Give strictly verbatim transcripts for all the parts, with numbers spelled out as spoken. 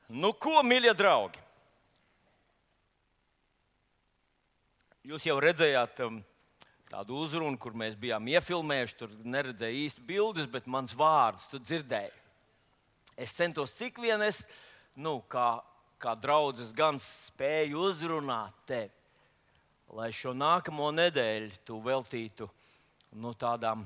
Nu, ko, mīļie draugi? Jūs jau redzējāt um, tādu uzrunu, kur mēs bijām iefilmējuši. Tur neredzēju īsti bildes, bet mans vārds tu dzirdēji. Es centos cik vien es, nu, kā, kā draudzes, gan spēju uzrunāt tevi, lai šo nākamo nedēļu tu veltītu nu, tādām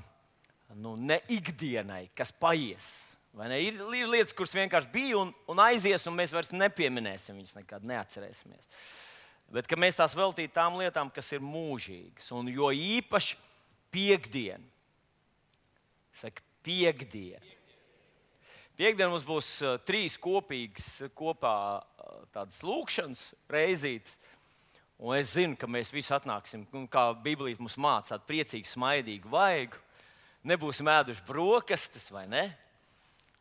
nu, ne ikdienai, kas paies. Vai ne? Ir lietas, kuras vienkārši bija un, un aizies, un mēs vairs nepieminēsim, viņas nekad neatcerēsimies. Bet ka mēs tās veltītu tām lietām, kas ir mūžīgas. Un jo īpaši piekdien. Saka, piekdien. Piekdien mums būs uh, trīs kopīgas kopā uh, tādas lūkšanas reizītes. Un es zinu, ka mēs visi atnāksim, kā Bībelī mums māca, tādu priecīgu, smaidīgu vaigu. Nebūsim ēduši brokastis, vai ne?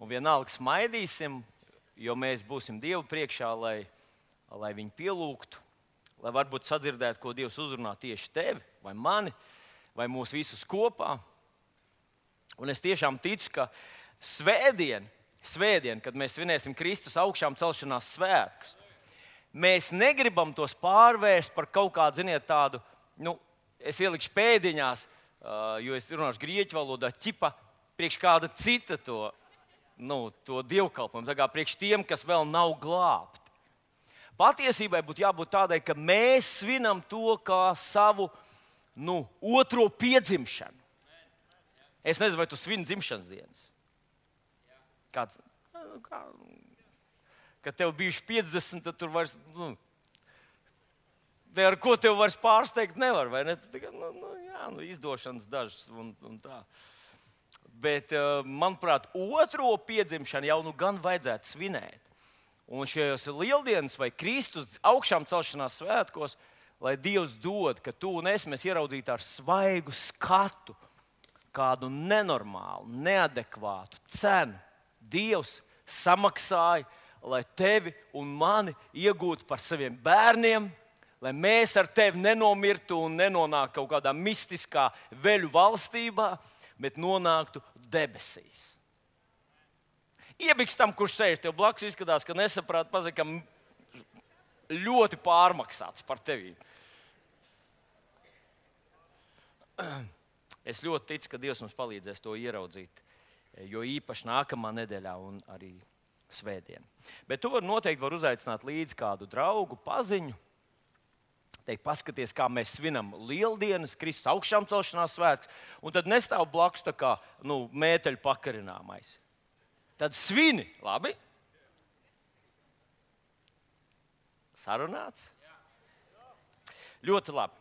Un vienalga smaidīsim, jo mēs būsim Dievu priekšā, lai, lai viņu pielūgtu, lai varbūt sadzirdētu, ko Dievs uzrunā tieši tevi, vai mani, vai mūs visus kopā. Un es tiešām ticu, ka svētdien, svētdien, kad mēs svinēsim Kristus augšām celšanās svētkus, mēs negribam tos pārvērst par kaut kādu, ziniet, tādu, nu, es ielikšu pēdiņās, jo es runāšu grieķu valodā, ķipa priekš kāda cita to, nu, to dievkalpojumu, tā kā priekš tiem, kas vēl nav glābti. Patiesībai būtu jābūt tādai, ka mēs svinam to kā savu nu, otro piedzimšanu. Es nezinu, vai tu svini dzimšanas dienas. Kāds, kā, kad tev bijuši piecdesmit, tad tur vairs, nu, ar ko tev vairs pārsteigt nevar, vai ne? Tikai, nu, nu, jā, nu, izdošanas dažas un, un tā. Bet, manuprāt, otro piedzimšanu jau nu gan vajadzētu svinēt. Un šajos lieldienas vai Kristus augšām celšanās svētkos, lai Dievs dod, ka tu un es mēs ieraudzītu ar svaigu skatu kādu nenormālu, neadekvātu cenu. Dievs samaksāja, lai tevi un mani iegūtu par saviem bērniem, lai mēs ar tevi nenomirtu un nenonāktu kaut kādā mistiskā veļu valstībā, bet nonāktu debesīs. Iebiks tam, kurš sēž tev blakus, izskatās, ka nesaprāt, pazakam ļoti pārmaksāts par tevi. Es ļoti ticu, ka Dievs mums palīdzēs to ieraudzīt, jo īpaši nākamā nedēļā un arī svētdien. Bet to noteikti var uzaicināt līdz kādu draugu, paziņu. Teikt, paskaties, kā mēs svinam lieldienas, Kristus augšām celšanās svētkus, un tad nestāv blakus tā kā nu, mēteļu pakarināmais. Tad svini, labi? Sarunāts? Ļoti labi.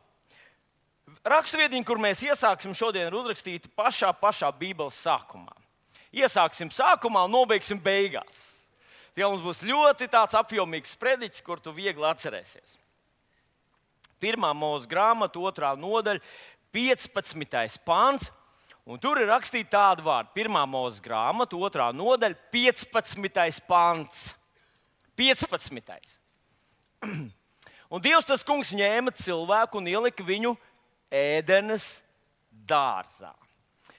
Raksturvietiņa, kur mēs iesāksim šodien, ir uzrakstīta pašā, pašā Bībeles sākumā. Iesāksim sākumā un nobeigsim beigās. Tie mums būs ļoti tāds apjomīgs sprediķis, kur tu viegli atcerēsies. Pirmā Mūzes grāmata, otrā nodaļa, piecpadsmitais pants, un tur ir rakstīta tāda vārda. Pirmā Mūzes grāmata, otrā nodaļa, piecpadsmitais pants. piecpadsmitais. Un Dievs tas kungs ņēma cilvēku un ielika viņu Ēdenes dārzā,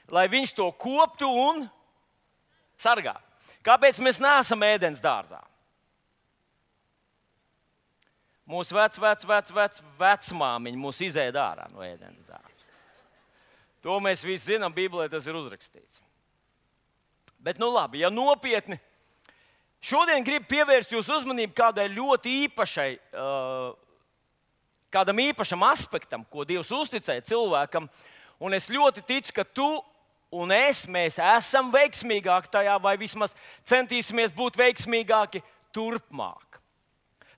lai viņš to koptu un sargātu. Kāpēc mēs neesam Ēdenes dārzā? Mūsu vec, vec, vec, vec, vecmāmiņa mūs izēda ārā no Ēdenes dārza. To mēs visi zinām, Bībelē tas ir uzrakstīts. Bet, nu labi, ja nopietni, šodien gribu pievērst jūsu uzmanību kādai ļoti īpašai, uh, kādam īpašam aspektam, ko Dievs uzticēja cilvēkam, un es ļoti ticu, ka tu un es, mēs esam veiksmīgāki tajā, vai vismaz centīsimies būt veiksmīgāki turpmāk.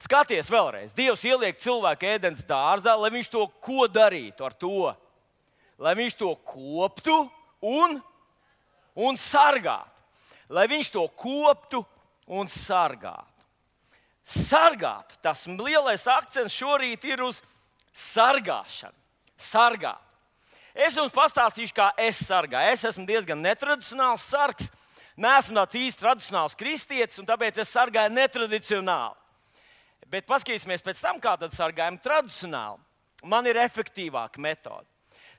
Skaties vēlreiz, Dievs ieliek cilvēku Ēdenes dārzā, lai viņš to ko darītu ar to? Lai viņš to koptu un, un sargātu. Lai viņš to koptu un sargātu. Sargāt, tas lielais akcents šorīt ir uz sargāšanu. Sargāt. Es jums pastāstīšu, kā es sargāju. Es esmu diezgan netradicionāls sargs. Neesmu tāds īsti tradicionāls kristietis, un tāpēc es sargāju netradicionāli. Bet paskatīsimies pēc tam, kā tad sargājam tradicionāli. Man ir efektīvāka metode.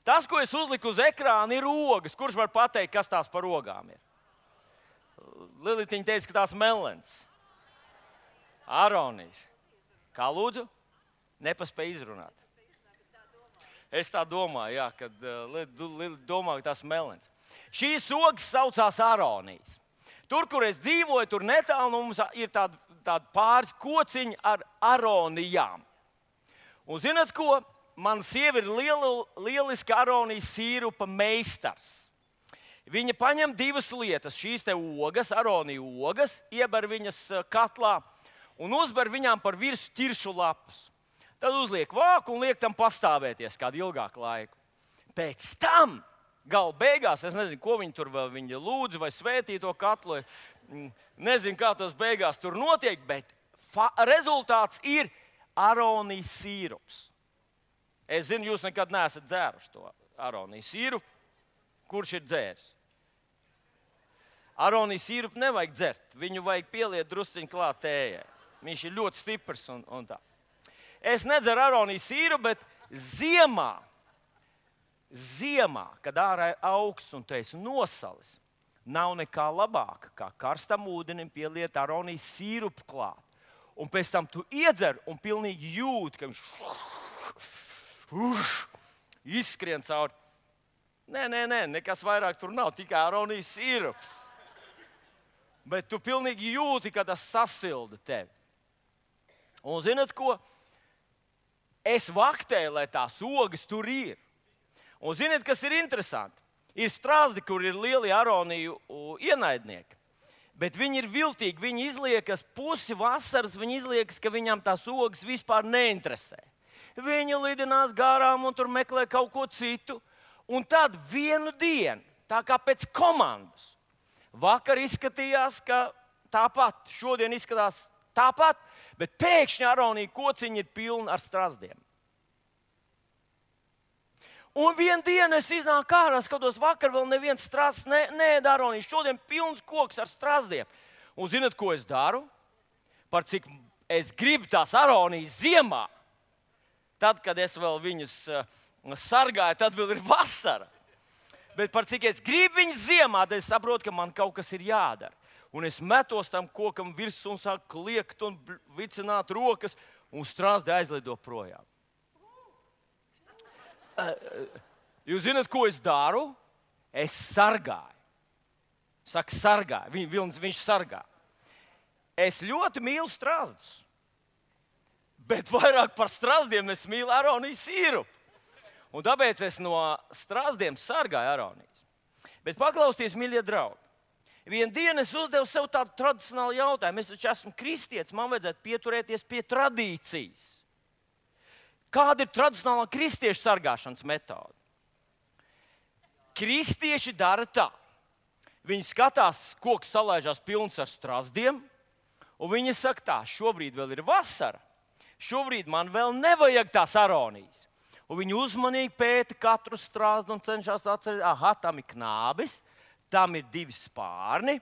Tas, ko es uzliku uz ekrāna, ir ogas. Kurš var pateikt, kas tās par ogām ir? Lilitiņa teica, ka tās melens. Aronijs. Kā lūdzu? Nepaspēj izrunāt. Es tā domāju, jā, kad uh, domāju, ka tas melns. Šīs ogas saucās Aronijs. Tur, kur es dzīvoju, tur netālu no mums ir tāda, tāda pāris kociņi ar aronijām. Un zināt ko? Mana sieva ir liela, lieliska aronijas sīrupa meistars. Viņa paņem divas lietas, šīs te ogas, aroniju ogas, ieber viņas katlā un uzber viņām par virsmu ķiršu lapas. Tad uzliek vāku un liek tam pastāvēties kādu ilgāku laiku. Pēc tam, gala beigās, es nezinu, ko viņi tur vēl viņi lūdz vai svētī to katlu, nezinu, kā tas beigās tur notiek, bet rezultāts ir aronijas sīrups. Es zinu, jūs nekad neesat dzēruši to aronijas sīrupu. Kurš ir dzēris? Aronijas sīrupu nevajag dzert. Viņu vajag pieliet drusciņu klāt tējai. Viņš ir ļoti stiprs un, un tā. Es nedzeru aronijas sīrupu, bet ziemā, ziemā, kad ārā ir augsts un tu esi nosalis, nav nekā labāka, kā karstam ūdenim pieliet aronijas sīrupu klāt. Un pēc tam tu iedzer un pilnīgi jūti, ka viņš Uf, izskrien cauri. Nē, nē, nē, nekas vairāk tur nav, tikai aronijas sīrups. Bet tu pilnīgi jūti, ka tas sasilda tevi. Un zināt ko? Es vaktēju, lai tās ogas tur ir. Un zināt, kas ir interesanti? Ir strāzdi, kur ir lieli aroniju ienaidnieki. Bet viņi ir viltīgi, viņi izliekas pusi vasaras, viņi izliekas, ka viņām tās ogas vispār neinteresē. Viņi lidinās garām un tur meklē kaut ko citu. Un tad vienu dienu, tā kā pēc komandas, vakar izskatījās, ka tāpat, šodien izskatās tāpat, bet pēkšņi aronija kociņi ir pilni ar strazdiem. Un vienu dienu es iznāku ārā, skatos, vakar vēl neviens strazds ne, neēd aroniju, šodien pilns koks ar strazdiem. Un zināt, ko es daru? Par cik es gribu tās aronijas ziemā. Tad, kad es vēl viņus uh, sargāju, tad vēl ir vasara. Bet par cik es gribu viņus ziemā, tad es saprotu, ka man kaut kas ir jādara. Un es metos tam kokam virsū un sāku kliegt un vicināt rokas, un strāzdi aizlido projām. Uh, jūs zināt, ko es daru? Es sargāju. Saka, sargāju. Viņ, vilns, viņš sargā. Es ļoti mīlu strāzdus. Bet vairāk par strazdiem es mīlu aronijas sīrupu. Un tāpēc es no strazdiem sargāju aronijas. Bet paklausieties, mīļie draugi. Vienu dienu es uzdevu sev tādu tradicionālu jautājumu. Es taču esmu kristietis, man vajadzētu pieturēties pie tradīcijas. Kāda ir tradicionālā kristiešu sargāšanas metode? Kristieši dara tā. Viņi skatās, koks salaižās pilns ar strazdiem, un viņi saka tā, šobrīd vēl ir vasara. Šobrīd man vēl nevajag tās aronijas. Un viņi uzmanīgi pēta katru strāzdu un cenšas atcerēt, aha, tam ir knābis, tam ir divi spārni.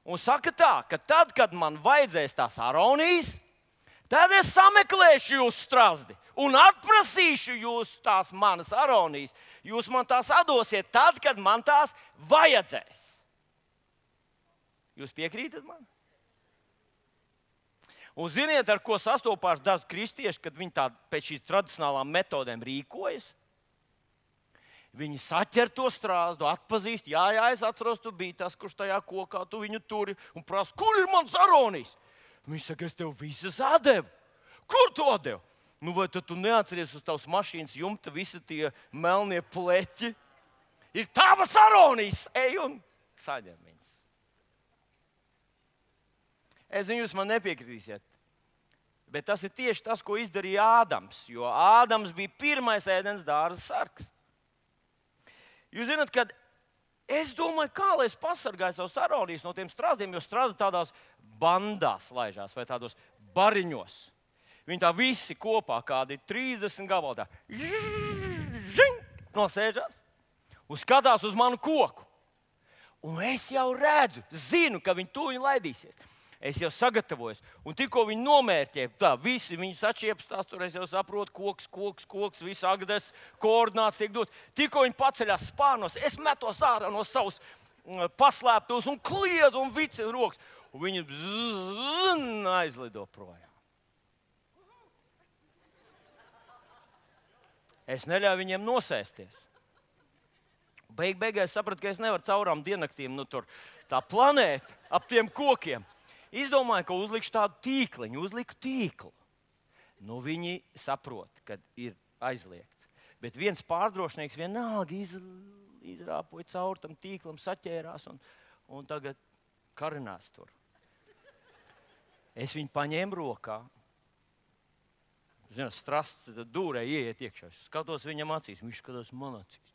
Un saka tā, ka tad, kad man vajadzēs tās aronijas, tad es sameklēšu jūsu strāzdi un atprasīšu jūs tās manas aronijas. Jūs man tās atdosiet tad, kad man tās vajadzēs. Jūs piekrītat man? Un ziniet, ar ko sastopās daži kristieši, kad viņi tā pēc šīs tradicionālām metodēm rīkojas? Viņi saķer to strāzdu, atpazīst, jā, jā, es atceros, tu biji tas, kurš tajā kokā, tu viņu turi un prasa, kur ir mans aronijas? Viņš saka, es tev visas atdevu. Kur tu atdevu? Nu, vai tad tu neatceries uz tavas mašīnas jumta visi tie melnie pleķi? Ir tavas aronijas, ej un saņem viņas. Es zinu, jūs man nepiekritīsiet, bet tas ir tieši tas, ko izdarīja Ādams, jo Ādams bija pirmais ēdens dārza sargs. Jūs zināt, kad es domāju, kā lai es pasargāju savus aronijas no tiem strazdiem, jo strazdi tādās bandās laižās vai tādos bariņos. Viņi tā visi kopā, kādi trīsdesmit gabali tā, nosēžās un skatās uz manu koku. Un es jau redzu, zinu, ka viņi tūlīt laidīsies. Es jau sagatavojos, un tikko viņi nomērķē, tā visi viņi sačiepstās, tur es jau saprotu, koks, koks, koks, viss agdes, koordināts tiek dots. Tikko viņi paceļās spārnos, es metos ārā no savas paslēptos un kliedzu un vicinu rokas. un viņi zzz, aizlido projām. Es neļauju viņiem nosēsties. Beig beigās sapratu, ka es nevaru caurām diennaktīm, nu tur tā planēta ap tiem kokiem. Izdomāju, ka uzlikšu tādu tīkliņu, uzliku tīklu. Nu, viņi saprot, ka ir aizliegts. Bet viens pārdrošnieks vienalga iz, izrāpoja cauri tam tīklam, saķērās un, un tagad karinās tur. Es viņu paņēmu rokā. Zinu, strasts dūrē ieiet iekšā. Es skatos viņam acīs, viņš skatās man acīs.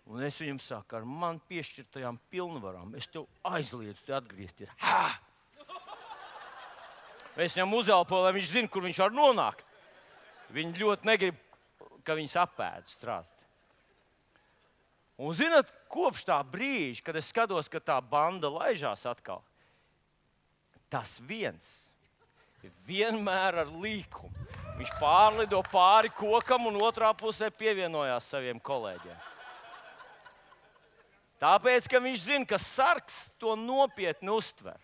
Un es viņam saku, ar man piešķirtajām pilnvarām, es tev aizliedzu te atgriezties. Ha! Es viņam uzelpoju, lai viņš zina, kur viņš var nonākt. Viņi ļoti negrib, ka viņus apēd strāsti. Un zināt, kopš tā brīža, kad es skatos, ka tā banda laižās atkal, tas viens vienmēr ar līkumu. Viņš pārlido pāri kokam un otrā pusē pievienojās saviem kolēģiem. Tāpēc, ka viņš zina, ka sargs to nopietni uztver.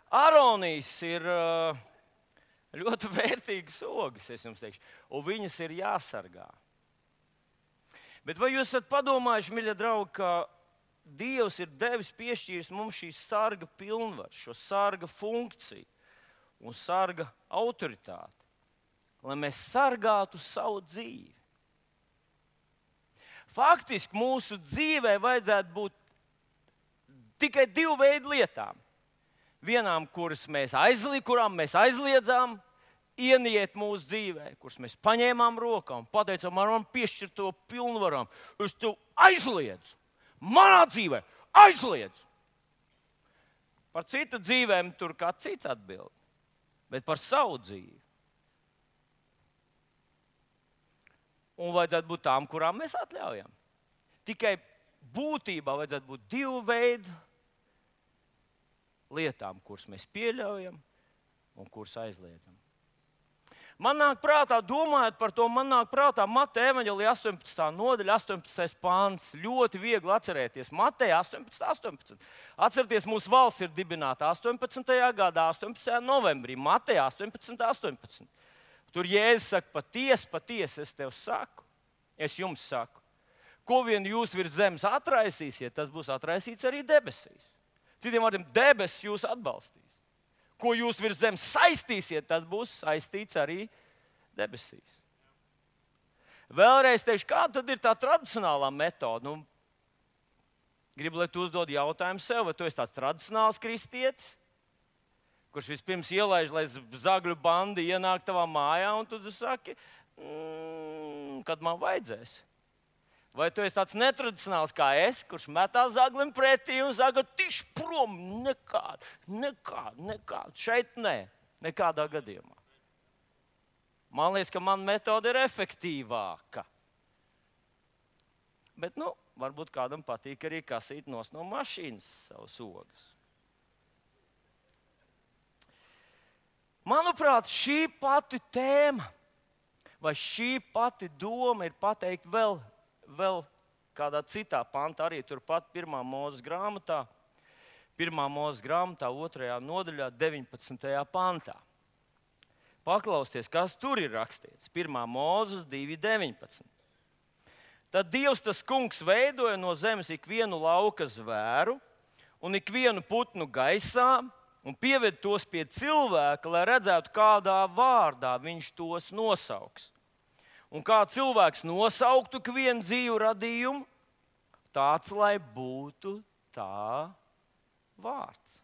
Aronijas ir ļoti vērtīgas ogas, es jums teikšu, un viņas ir jāsargā. Bet vai jūs esat padomājuši, mīļie draugi, ka Dievs ir devis piešķīris mums šīs sarga pilnvaru, šo sarga funkciju un sarga autoritāti, lai mēs sargātu savu dzīvi. Faktiski mūsu dzīvē vajadzētu būt tikai divu veidu lietām. Vienām, kuras mēs aizliedzām, kurām mēs aizliedzām ieniet mūsu dzīvē, kuras mēs paņēmām rokā un pateicām, ar man piešķirto pilnvarām, es tev aizliedzu. Manā dzīvē aizliedz. Par citu dzīvēm tur kāds cits atbild, bet par savu dzīvi. Un vajadzētu būt tām, kurām mēs atļaujam. Tikai būtībā vajadzētu būt divu veidu lietām, kuras mēs pieļaujam un kuras aizliedzam. Man nāk prātā, domājot par to, man nāk prātā Mateja evaņģēlija astoņpadsmitā nodaļa, astoņpadsmitais pants. Ļoti viegli atcerēties. Mateja astoņpadsmit, astoņpadsmit. Atcerieties, mūsu valsts ir dibināta astoņpadsmitajā gadā, astoņpadsmitajā novembrī. Mateja astoņpadsmit, astoņpadsmit. Tur Jēzus saka, patiesi, patiesi es tev saku, es jums saku. Ko vien jūs virs zemes atraisīsiet, tas būs atraisīts arī debesīs. Citiem vārdiem, debesis jūs atbalstīs. Ko jūs virs zemes saistīsiet, tas būs saistīts arī debesīs. Vēlreiz teikšu, kāda tad ir tā tradicionālā metode? Nu, gribu, lai tu uzdod jautājumu sev, vai tu esi tāds tradicionāls kristietis, kurš vispirms ielaiž, lai zagļu bandi ienāk tavā mājā, un tu saki, mm, kad man vajadzēs. Vai tu esi tāds netradicionāls kā es, kurš metās zaglim pretī un saka, tiš prom, nekād, nekād, nekād. Šeit nē, nekādā gadījumā. Man liekas, ka mana metode ir efektīvāka. Bet, nu, varbūt kādam patīk arī kasīt nos no mašīnas savus ogas. Manuprāt, šī pati tēma vai šī pati doma ir pateikt vēl Vēl kādā citā pantā, arī turpat pirmā Mūzes grāmatā, pirmā Mūzes grāmatā, otrajā nodaļā, deviņpadsmitajā pantā. Paklausieties, kas tur ir rakstīts. pirmā Mūzes divi deviņpadsmit. Tad Dievs tas kungs veidoja no zemes ikvienu lauka zvēru un ikvienu putnu gaisā un pieved tos pie cilvēka, lai redzētu, kādā vārdā viņš tos nosauks. Un kā cilvēks nosauktu vienu dzīvu radījumu, tāds, lai būtu tā vārds.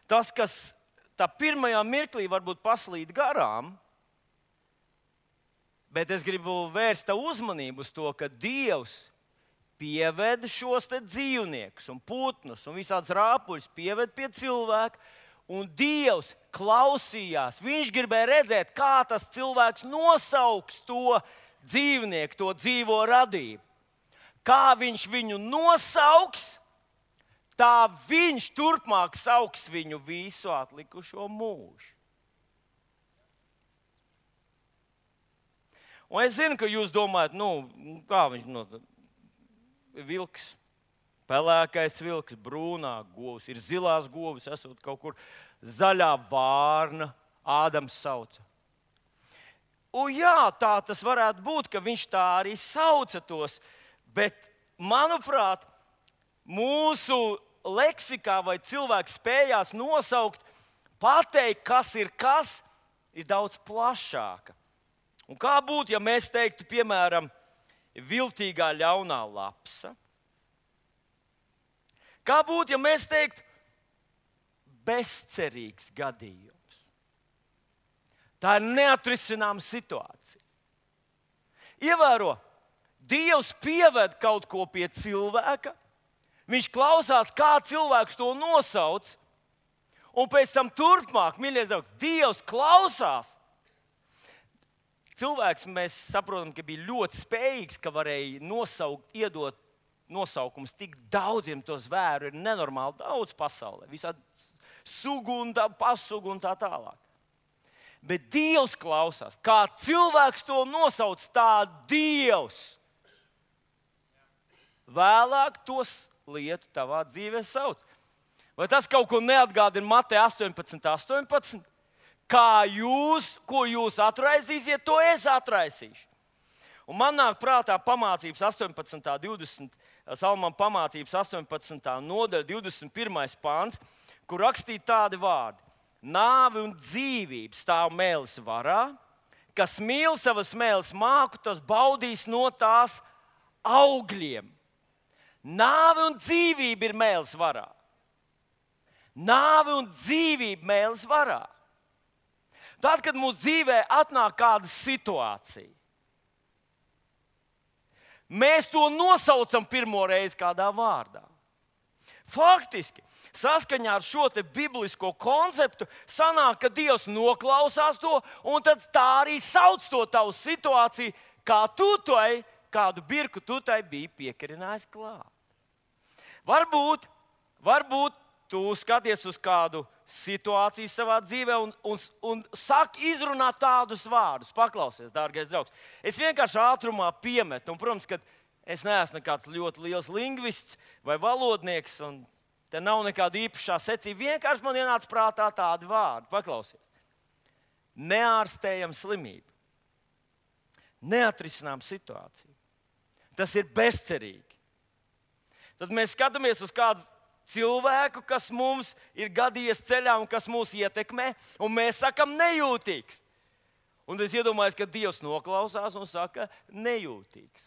Tas, kas tā pirmajā mirklī varbūt paslīd garām, bet es gribu vērst tā uzmanību uz to, ka Dievs pieved šos te dzīvniekus un putnus un visādas rāpuļus pieved pie cilvēka, un Dievs klausījās. Viņš gribēja redzēt, kā tas cilvēks nosauks to dzīvnieku, to dzīvo radību. Kā viņš viņu nosauks, tā viņš turpmāk sauks viņu visu atlikušo mūžu. Un es zinu, ka jūs domājat, nu, kā viņš no... vilks. Pelēkais vilks, brūnā govs, ir zilās govis, esot kaut kur zaļā vārna, Ādams sauca. Un jā, tā tas varētu būt, ka viņš tā arī sauca tos, bet, manuprāt, mūsu leksikā vai cilvēks spējās nosaukt, pateikt, kas ir kas, ir daudz plašāka. Un kā būtu, ja mēs teiktu, piemēram, viltīgā ļaunā lapsa? Kā būtu, ja mēs teiktu, bezcerīgs gadījums? Tā ir neatrisināma situācija. Ievēro, Dievs pieved kaut ko pie cilvēka, viņš klausās, kā cilvēks to nosauc, un pēc tam turpmāk, mīļie draugi, Dievs klausās. Cilvēks, mēs saprotam, ka bija ļoti spējīgs, ka varēja nosaukt, iedot nosaukums tik daudziem to zvēru, ir nenormāli daudz pasaulē, visādi sugu un tā, pasugu un tā tālāk. Bet Dievs klausās, kā cilvēks to nosauc, tā Dievs vēlāk tos lietu tavā dzīvē sauc. Vai tas kaut ko neatgādina Mateja astoņpadsmit, astoņpadsmit? Kā jūs, ko jūs atraisīsiet, to es atraisīšu. Un man nāk prātā pamācības astoņpadsmitā, divdesmit, Salmam pamācības astoņpadsmitā nodaļa, divdesmit pirmais pāns, kur rakstīti tādi vārdi. Nāve un dzīvība stāv mēlis varā, kas mīl savas mēles māku, tas baudīs no tās augļiem. Nāve un dzīvība ir mēlis varā. Nāve un dzīvība mēlis varā. Tad, kad mūsu dzīvē atnāk kāda situācija, mēs to nosaucam pirmo reizi kādā vārdā. Faktiski, saskaņā ar šo te biblisko konceptu, sanāk, ka Dievs noklausās to, un tad tā arī sauc to tavu situāciju, kā tu tai, kādu birku tu tai biji piekarinājis klāt. Varbūt, varbūt tu skaties uz kādu situāciju savā dzīvē un, un, un saki izrunāt tādus vārdus. Paklausies, dārgais draugs. Es vienkārši ātrumā piemetu, un, protams, ka es neesmu nekāds ļoti liels lingvists vai valodnieks, un te nav nekāda īpašā secība. Vienkārši man ienāca prātā tādi vārdi. Paklausies. Neārstējama slimība. Neatrisinām situāciju. Tas ir bezcerīgi. Tad mēs skatāmies uz kādu cilvēku, kas mums ir gadījies ceļā un kas mūs ietekmē, un mēs sakam nejūtīgs. Un es iedomājos, ka Dievs noklausās un saka nejūtīgs.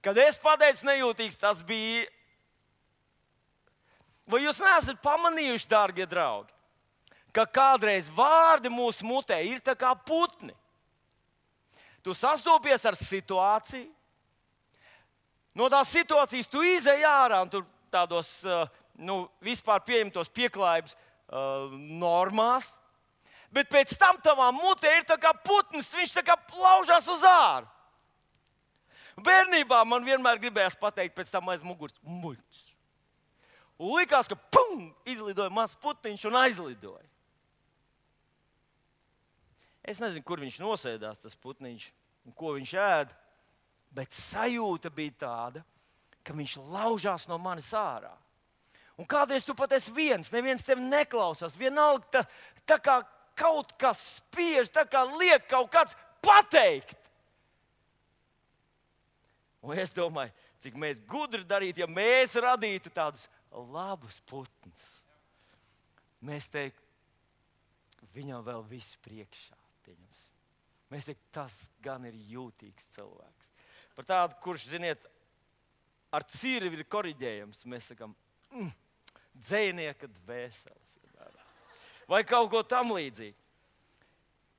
Kad es pateicu nejūtīgs, tas bija... Vai jūs neesat pamanījuši, dārgie draugi, ka kādreiz vārdi mūsu mutē ir tā kā putni? Tu sastopies ar situāciju, no tās situācijas tu izej ārā un tur tādos nu, vispār pieņemtos pieklājības uh, normās, bet pēc tam tavā mutē ir tā kā putns, viņš tā kā plaužās uz āru. Bērnībā man vienmēr gribējās pateikt pēc tam aiz muguras muļķis. Un likās, ka pum, izlidoja mazs putniņš un aizlidoja. Es nezinu, kur viņš nosēdās, tas putniņš, un ko viņš ēd, bet sajūta bija tāda, ka viņš laužās no manis ārā. Un kādreiz tu pat esi viens, neviens tevi neklausās, vienalga tā, tā kā kaut kas spiež, tā kā liek kaut kāds pateikt. Un es domāju, cik mēs gudri darītu, ja mēs radītu tādus labus putnus. Mēs teiktu, viņam vēl viss priekšā. Pieņems. Mēs teiktu, tas gan ir jūtīgs cilvēks. Par tādu, kurš, ziniet, ar cirvi ir koriģējams, mēs sakām, mm, dzejnieka dvēseli. Vai kaut ko tam līdzīgi.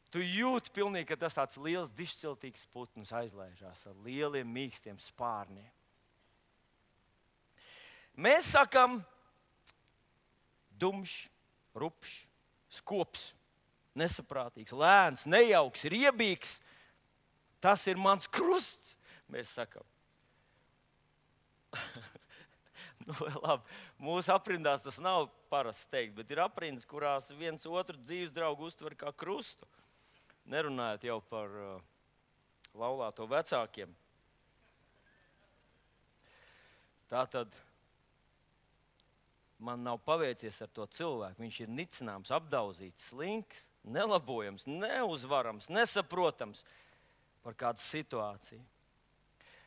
Tu jūti pilnīgi, ka tas tāds liels, dišciltīgs putns aizlaižās ar lieliem, mīkstiem spārniem. Mēs sakam dumšs, rupšs, skops, nesaprātīgs, lēns, nejauks, riebīgs. Tas ir mans krusts, mēs sakam. Nu, labi, mūsu aprindās tas nav parasts teikt, bet ir aprindas, kurās viens otru dzīves draugu uztver kā krustu. Nerunājot jau par uh, laulāto vecākiem. Tā tad man nav paveicies ar to cilvēku. Viņš ir nicināms, apdauzīts, slinks, nelabojams, neuzvarams, nesaprotams par kādu situāciju.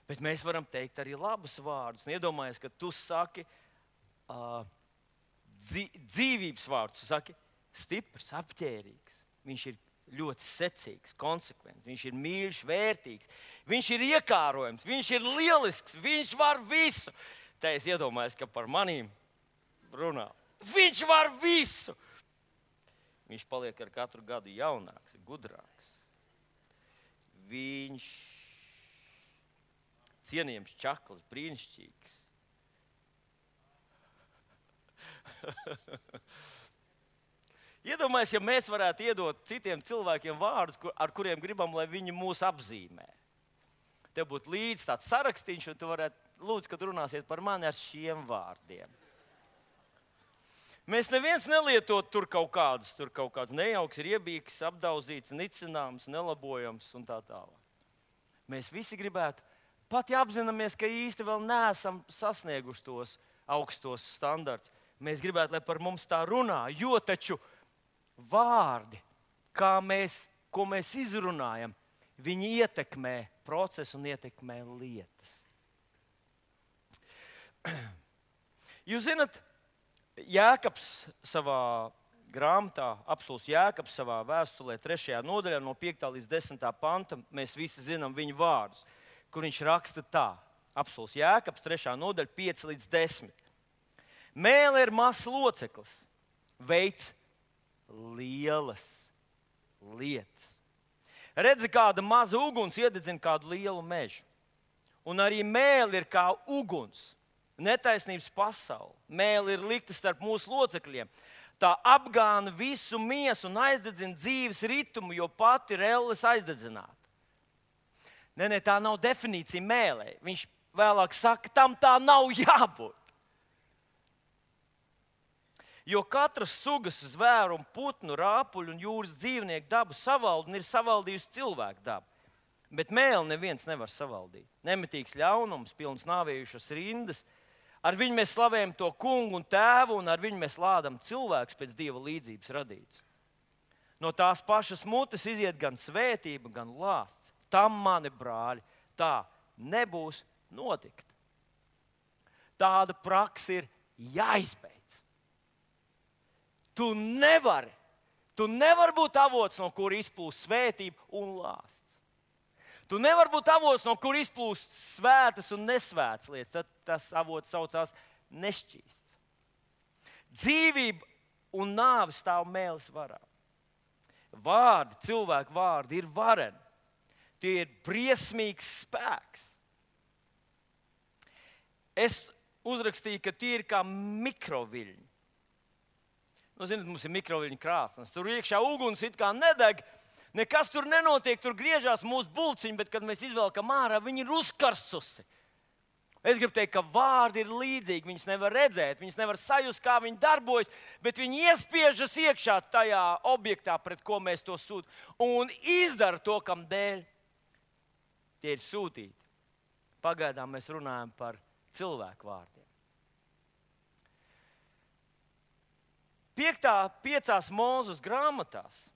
Bet mēs varam teikt arī labus vārdus. Iedomājies, ka tu saki uh, dzīvības vārdus. Tu saki stiprs, apģērīgs. Viņš ir ļoti secīgs, konsekvents. Viņš ir mīļš, vērtīgs. Viņš ir iekārojams, viņš ir lielisks, viņš var visu. Tā es iedomājos, ka par manīm runā. Viņš var visu. Viņš paliek ar katru gadu jaunāks, gudrāks. Viņš cienījams, čakls, brīnišķīgs. Iedomājies, ja mēs varētu iedot citiem cilvēkiem vārdus, kur, ar kuriem gribam, lai viņi mūs apzīmē. Tev būtu līdz tāds sarakstīns, un tu varētu, lūdzu, kad runāsiet par mani ar šiem vārdiem. Mēs neviens nelietot tur kaut kādus, tur kaut kāds nejauks, riebīgs, apdauzīts, nicināms, nelabojams un tā tālāk. Mēs visi gribētu, pat ja apzināmies, ka īsti vēl neesam sasnieguši tos augstos standarts, mēs gribētu, lai par mums tā runā, jo taču vārdi, kā mēs, ko mēs izrunājam, viņi ietekmē procesu un ietekmē lietas. Jūs zināt, Jēkabs savā grāmatā, apstults Jēkabs savā vēstulē trešajā nodaļā no piektā līdz desmitā panta, mēs visi zinām viņa vārdus, kur viņš raksta tā. Apstults Jēkabs trešā nodaļa pieci līdz desmit. Mēle ir mazs loceklis, veids lielas lietas. Redzi, kāda maza uguns iededzina kādu lielu mežu. Un arī mēle ir kā uguns. Netaisnības pasaule. Mēle ir likta starp mūsu locekļiem. Tā apgāna visu miesu un aizdedzina dzīves ritmu, jo pati ir elles aizdedzināta. Nē, nē, tā nav definīcija mēlē. Viņš vēlāk saka, tam tā nav jābūt. Jo katras sugas, zvēru, putnu, rāpuļu un jūras dzīvnieku dabu savalda un ir savaldījusi cilvēku dabu. Bet mēli neviens nevar savaldīt. Nemitīgs ļaunums, pilns nāvējušas rindas. Ar viņu mēs slavējam to kungu un tēvu, un ar viņu mēs lādam cilvēkus pēc Dieva līdzības radīts. No tās pašas mutes iziet gan svētība, gan lāsts. Tam, mani brāļi, tā nebūs notikt. Tāda praksa ir jāizbeidz. Tu nevari, tu nevari būt avots, no kura izplūst svētība un lāsts. Tu nevari būt avots, no kur izplūst svētas un nesvētas lietas. Tad tas avots saucās nešķīsts. Dzīvība un nāve stāv mēles varā. Vārdi, cilvēku vārdi ir vareni. Tie ir briesmīgs spēks. Es uzrakstīju, ka tie ir kā mikroviļņi. Nu, zināt, mums ir mikroviļņu krāsnes. Tur iekšā uguns it kā nedeg. Nekas tur nenotiek, tur griežās mūsu bulciņi, bet, kad mēs izvelkam ārā, viņi ir uzkarsusi. Es gribu teikt, ka vārdi ir līdzīgi. Viņus nevar redzēt, viņus nevar sajust, kā viņi darbojas, bet viņi iespiežas iekšā tajā objektā, pret ko mēs to sūtām, un izdara to, kam dēļ tie ir sūtīti. Pagaidām mēs runājam par cilvēku vārdiem. Piektā, piecās Mūzes grāmatās,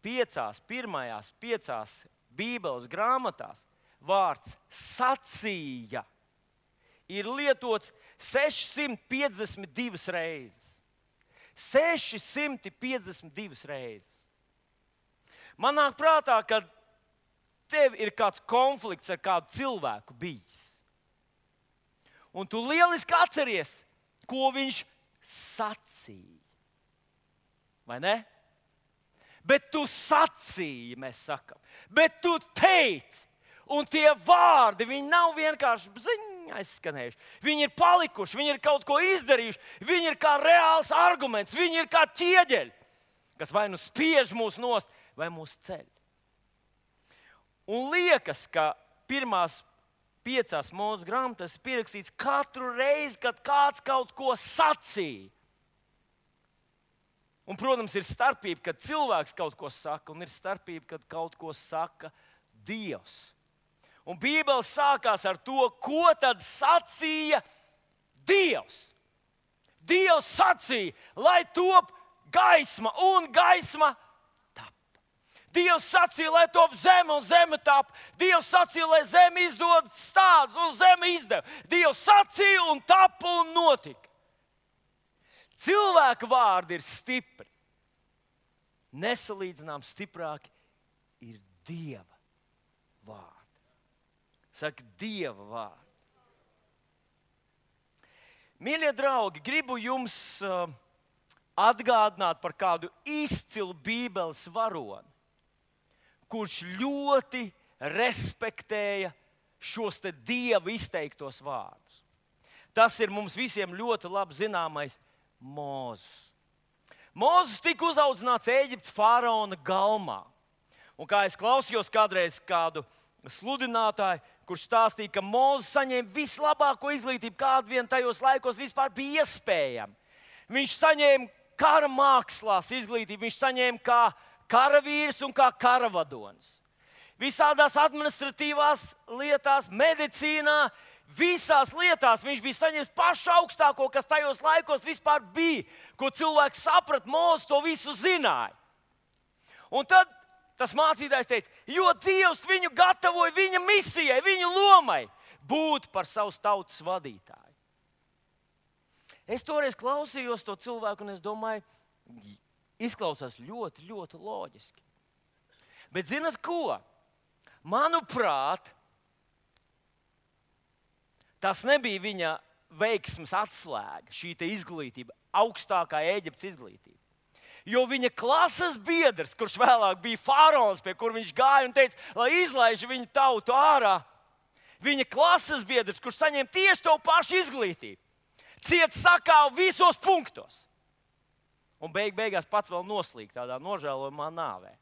piecās, pirmajās piecās Bībeles grāmatās vārds sacīja ir lietots sešsimt piecdesmit divas reizes. sešsimt piecdesmit divas reizes. Man nāk prātā, ka tev ir kāds konflikts ar kādu cilvēku bijis. Un tu lieliski atceries, ko viņš sacīja. Vai ne? Bet tu sacīji, mēs sakam. Bet tu teici. Un tie vārdi, viņi nav vienkārši ziņā aizskanējuši. Viņi ir palikuši, viņi ir kaut ko izdarījuši. Viņi ir kā reāls arguments, viņi ir kā ķieģeļi, kas vai nu spiež mūs nost, vai mūs ceļ. Un liekas, ka pirmās piecās Mūzes grāmatās ir pierakstīts katru reizi, kad kāds kaut ko sacīja. Un, protams, ir starpība, kad cilvēks kaut ko saka, un ir starpība, kad kaut ko saka Dievs. Un Bībele sākās ar to, ko tad sacīja Dievs. Dievs sacīja, lai top gaisma, un gaisma tapa. Dievs sacīja, lai top zeme, un zeme tapa. Dievs sacīja, lai zeme izdod stādus, un zeme izdeva. Dievs sacīja, un tapa, un notika. Cilvēka vārdi ir stipri. Nesalīdzinām stiprāki ir Dieva vārdi. Saka, Dieva vārdi. Mīļie draugi, gribu jums uh, atgādināt par kādu izcilu Bībeles varoni, kurš ļoti respektēja šos te Dieva izteiktos vārdus. Tas ir mums visiem ļoti labi zināmais Mūzes. Mūzes tika uzaudzināts Ēģiptes faraona galmā. Un kā es klausījos kādreiz kādu sludinātāju, kurš stāstīja, ka Mūzes saņēma vislabāko izglītību, kāda vien tajos laikos vispār bija iespējama. Viņš saņēma kara mākslās izglītību, viņš saņēma kā karavīrs un kā karavadonis. Visādās administratīvās lietās, medicīnā, visās lietās viņš bija saņēmis pašu augstāko, kas tajos laikos vispār bija, ko cilvēks saprat, Mūzes to visu zināja. Un tad tas mācītājs teica, jo Dievs viņu gatavoja viņa misijai, viņa lomai būt par savas tautas vadītāju. Es toreiz klausījos to cilvēku, un es domāju, izklausās ļoti, ļoti loģiski. Bet zinat ko? Manuprāt, tas nebija viņa veiksmes atslēga, šī te izglītība, augstākā Ēģiptes izglītība. Jo viņa klases biedrs, kurš vēlāk bija faraons, pie kur viņš gāja un teica, lai izlaiž viņu tautu ārā, viņa klases biedrs, kurš saņēma tieši to pašu izglītību, ciet sakāvu visos punktos. Un beig beigās pats vēl noslīg tādā nožēlojumā nāvē.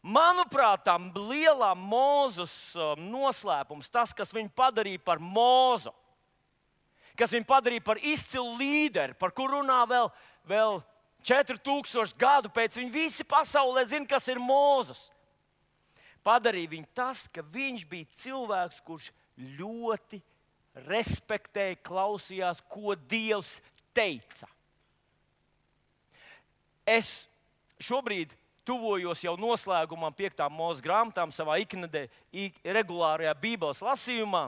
Manuprāt, tam lielā Mūzes noslēpums, tas, kas viņu padarīja par Mūzu, kas viņu padarīja par izcilu līderi, par kuru runā vēl, vēl četri tūkstoši gadu pēc. Viņi visi pasaulē zina, kas ir Mūzes. Padarīja viņu tas, ka viņš bija cilvēks, kurš ļoti respektēja, klausījās, ko Dievs teica. Es šobrīd tuvojos jau noslēgumam piektām Mūzes grāmatām savā iknedē, regulārajā Bībeles lasījumā.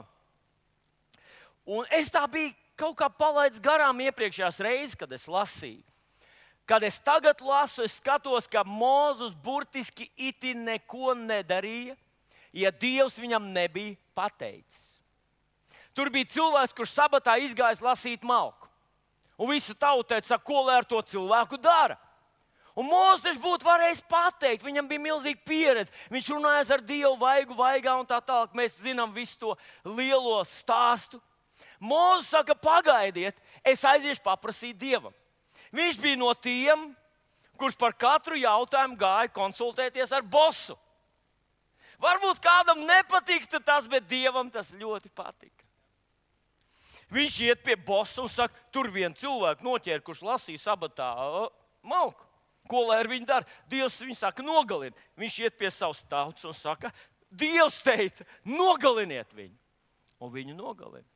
Un es tā biju kaut kā palaidis garām iepriekšējās reizes, kad es lasīju. Kad es tagad lasu, es skatos, ka Mūzes burtiski iti neko nedarīja, ja Dievs viņam nebija pateicis. Tur bija cilvēks, kurš sabatā izgājis lasīt malku. Un visa tauta teica, ko lai ar to cilvēku dara. Un Mūzes taču būtu varējis pateikt, viņam bija milzīga pieredze. Viņš runājas ar Dievu vaigu vaigā un tā tālāk. Mēs zinām visu to lielo stāstu. Mūzes saka, pagaidiet, es aiziešu paprasīt Dievam. Viņš bija no tiem, kurš par katru jautājumu gāja konsultēties ar bosu. Varbūt kādam nepatiktu tas, bet Dievam tas ļoti patika. Viņš iet pie bosa un saka, tur viens cilvēks noķēra, kurš lasīja sabatā malku. Ko lai ar viņu dara? Dievs viņu saka, nogalini. Viņš iet pie savas tautas un saka, Dievs teica, nogaliniet viņu. Un viņu nogalina.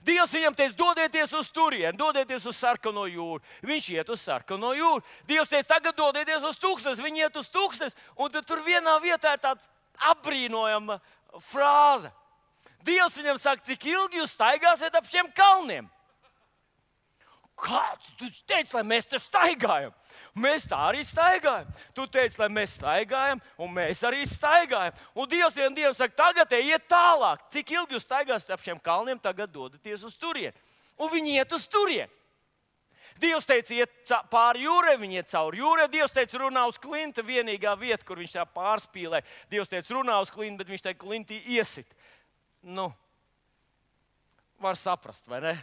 Dievs viņam teica, dodieties uz turieni, dodieties uz sarkano jūru. Viņš iet uz sarkano jūru. Dievs teica, tagad dodieties uz tūkstnes. Viņi iet uz tūkstnes, un tur vienā vietā ir tāds apbrīnojama frāze. Dievs viņam saka, cik ilgi jūs staigāsiet ap šiem kalniem? Kāds? Tu teici, lai mēs te staigājam. Mēs tā arī staigājam. Tu teici, lai mēs staigājam, un mēs arī staigājam. Un Dievs vien Dievs saka, tagad iet tālāk. Cik ilgi jūs staigāsiet ap šiem kalniem, tagad dodaties uz turieni. Un viņi iet uz turieni. Dievs teica, iet pāri jūrai, viņi iet cauri jūrai. Dievs teica, runā uz klinta, vienīgā vieta, kur viņš tā pārspīlē. Dievs teica, runā uz klinta, bet viņš tā klintī iesit. Nu, var saprast, vai ne?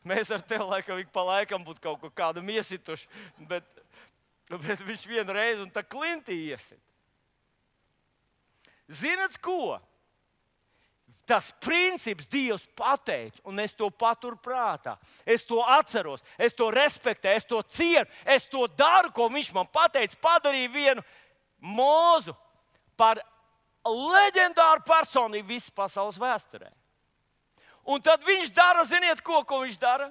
Mēs ar tevi laikam ik pa laikam būtu kaut ko kādam iesituši, bet, bet viņš vienreiz un tā klintī iesit. Zinat ko? Tas princips Dievs pateica, un es to paturu prātā. Es to atceros, es to respektēju, es to cienu, es to daru, ko viņš man pateica. Padarīju vienu Mūzu par leģendāra personība visas pasaules vēsturē. Un tad viņš dara, ziniet, ko, ko viņš dara?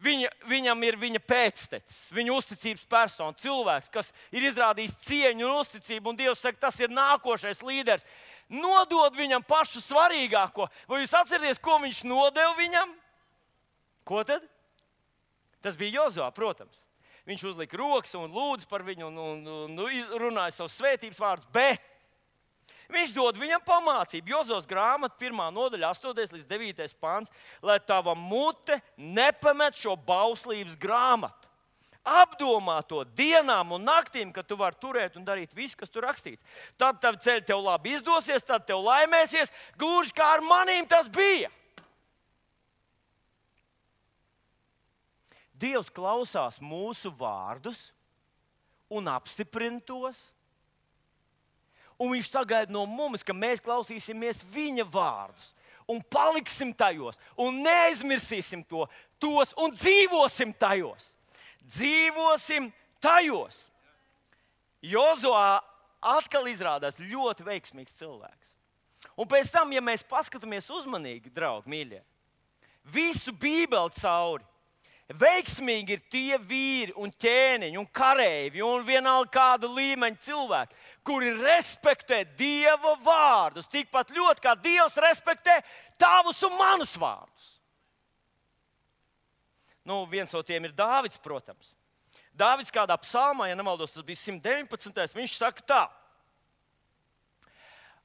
Viņa, viņam ir viņa pēctecis, viņa uzticības persona, cilvēks, kas ir izrādījis cieņu un uzticību, un Dievs saka, tas ir nākošais līderis. Nodod viņam pašu svarīgāko. Vai jūs atceraties, ko viņš nodeva viņam? Ko tad? Tas bija Jozua, protams. Viņš uzlika rokas un lūdza par viņu un, un, un, un runāja savus svētības vārdus, bet viņš dod viņam pamācību. Jozos grāmata, pirmā nodaļa, astotais līdz devītais pāns, lai tava mute nepamet šo bauslības grāmatu. Apdomā to dienām un naktīm, kad tu vari turēt un darīt visu, kas tur rakstīts. Tad tavi ceļi tev labi izdosies, tad tev laimēsies, gluži kā ar manīm tas bija. Dievs klausās mūsu vārdus un apstiprina tos. Un viņš sagaida no mums, ka mēs klausīsimies viņa vārdus un paliksim tajos un neaizmirsīsim to, tos un dzīvosim tajos. Dzīvosim tajos. Jozua atkal izrādās ļoti veiksmīgs cilvēks. Un pēc tam, ja mēs paskatāmies uzmanīgi, draugi, mīļie, visu Bībeli cauri, veiksmīgi ir tie vīri un ķēniņi un kareivji un vienalga kāda līmeņa cilvēki, kuri respektē Dieva vārdus tikpat ļoti, kā Dievs respektē tavus un manus vārdus. Nu, viens no tiem ir Dāvids, protams. Dāvids kādā psalmā, ja nemaldos, tas bija simt deviņpadsmitais, viņš saka tā.